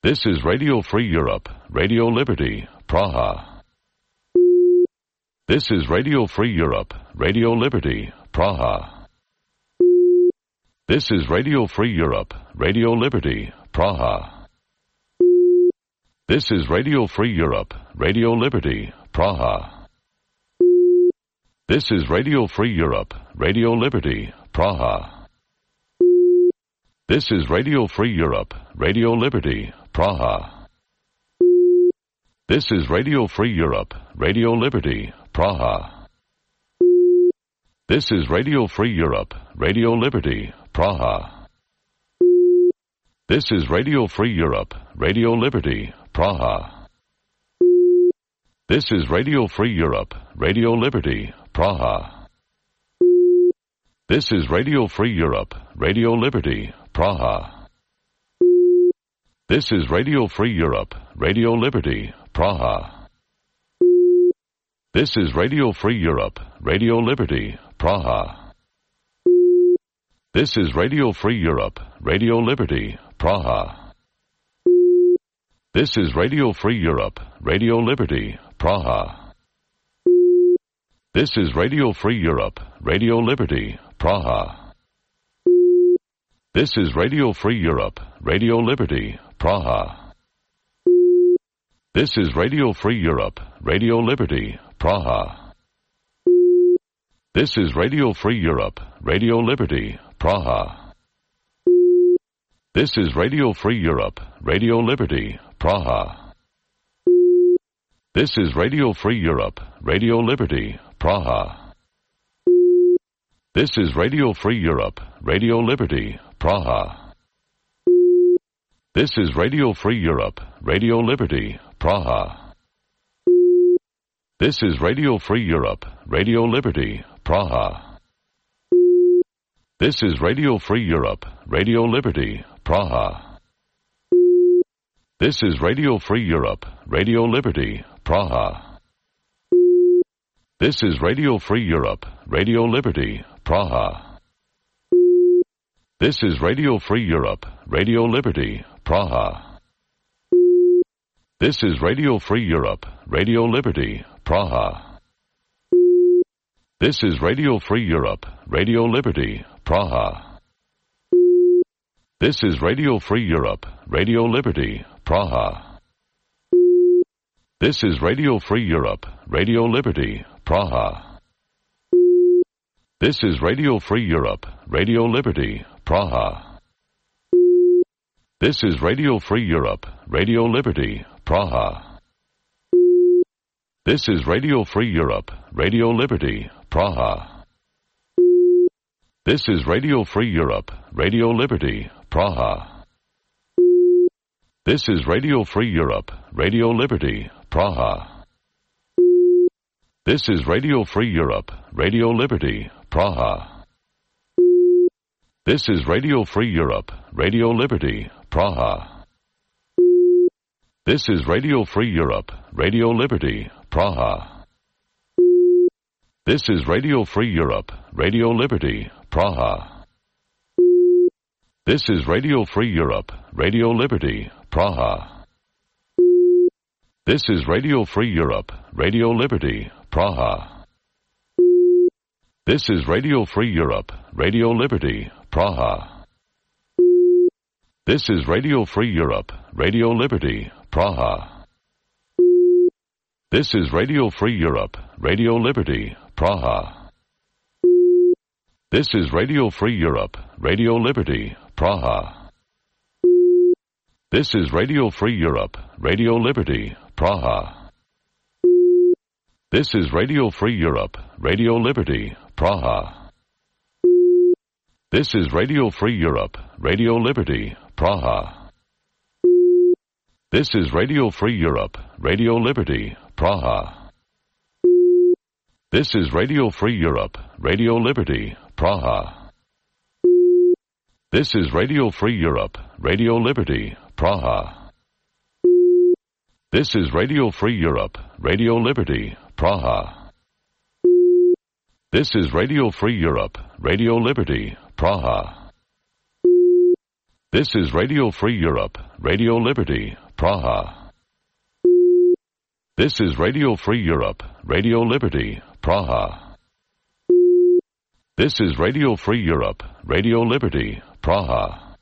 This is Radio Free Europe, Radio Liberty, Praha. This is Radio Free Europe, Radio Liberty, Praha. This is Radio Free Europe, Radio Liberty, Praha. This is Radio Free Europe, Radio Liberty, Praha. This is Radio Free Europe, Radio Liberty, Praha. This is Radio Free Europe, Radio Liberty, Praha. This is Radio Free Europe, Radio Liberty, Praha. This is Radio Free Europe, Radio Liberty, Praha. This is Radio Free Europe, Radio Liberty, Praha. This is Radio Free Europe, Radio Liberty, Praha. This is Radio Free Europe, Radio Liberty, Praha. This is Radio Free Europe, Radio Liberty, Praha. This is Radio Free Europe, Radio Liberty, Praha. This is Radio Free Europe, Radio Liberty, Praha. This is Radio Free Europe, Radio Liberty, Praha. This is Radio Free Europe, Radio Liberty, Praha. This is Radio Free Europe, Radio Liberty, Praha. This is Radio Free Europe, Radio Liberty, Praha. This is Radio Free Europe, Radio Liberty, Praha. This is Radio Free Europe, Radio Liberty, Praha. This is Radio Free Europe, Radio Liberty, Praha. This is Radio Free Europe, Radio Liberty, Praha. This is Radio Free Europe, Radio Liberty, Praha. This is Radio Free Europe, Radio Liberty, Praha. This is Radio Free Europe, Radio Liberty, Praha. This is Radio Free Europe, Radio Liberty, Praha. This is Radio Free Europe, Radio Liberty, Praha. This is Radio Free Europe, Radio Liberty, Praha. This is Radio Free Europe, Radio Liberty, Praha. This is Radio Free Europe, Radio Liberty, Praha. This is Radio Free Europe, Radio Liberty, Praha. This is Radio Free Europe, Radio Liberty, Praha. This is Radio Free Europe, Radio Liberty, Praha. This is Radio Free Europe, Radio Liberty, Praha. This is Radio Free Europe, Radio Liberty, Praha. This is Radio Free Europe, Radio Liberty, Praha. This is Radio Free Europe, Radio Liberty, Praha. This is Radio Free Europe, Radio Liberty, Praha. This is Radio Free Europe, Radio Liberty, Praha. This is Radio Free Europe, Radio Liberty, Praha. This is Radio Free Europe, Radio Liberty, Praha. This is Radio Free Europe, Radio Liberty, Praha. This is Radio Free Europe, Radio Liberty, Praha. This is Radio Free Europe, Radio Liberty, Praha. This is Radio Free Europe, Radio Liberty, Praha. This is Radio Free Europe, Radio Liberty, Praha. This is Radio Free Europe, Radio Liberty, Praha. This is Radio Free Europe, Radio Liberty, Praha. This is Radio Free Europe, Radio Liberty, Praha. This is Radio Free Europe, Radio Liberty, Praha. This is Radio Free Europe, Radio Liberty, Praha. This is Radio Free Europe, Radio Liberty, Praha. This is Radio Free Europe, Radio Liberty, Praha. This is Radio Free Europe, Radio Liberty, Praha. This is Radio Free Europe, Radio Liberty, Praha. This is Radio Free Europe, Radio Liberty, Praha. This is Radio Free Europe, Radio Liberty, Praha. This is Radio Free Europe, Radio Liberty, Praha.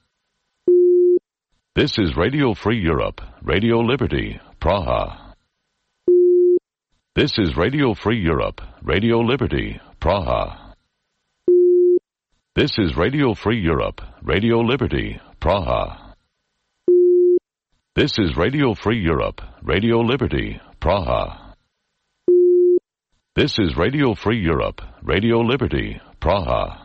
This is Radio Free Europe, Radio Liberty, Praha. This is Radio Free Europe, Radio Liberty, Praha. This is Radio Free Europe, Radio Liberty, Praha. This is Radio Free Europe, Radio Liberty, Praha. This is Radio Free Europe, Radio Liberty, Praha.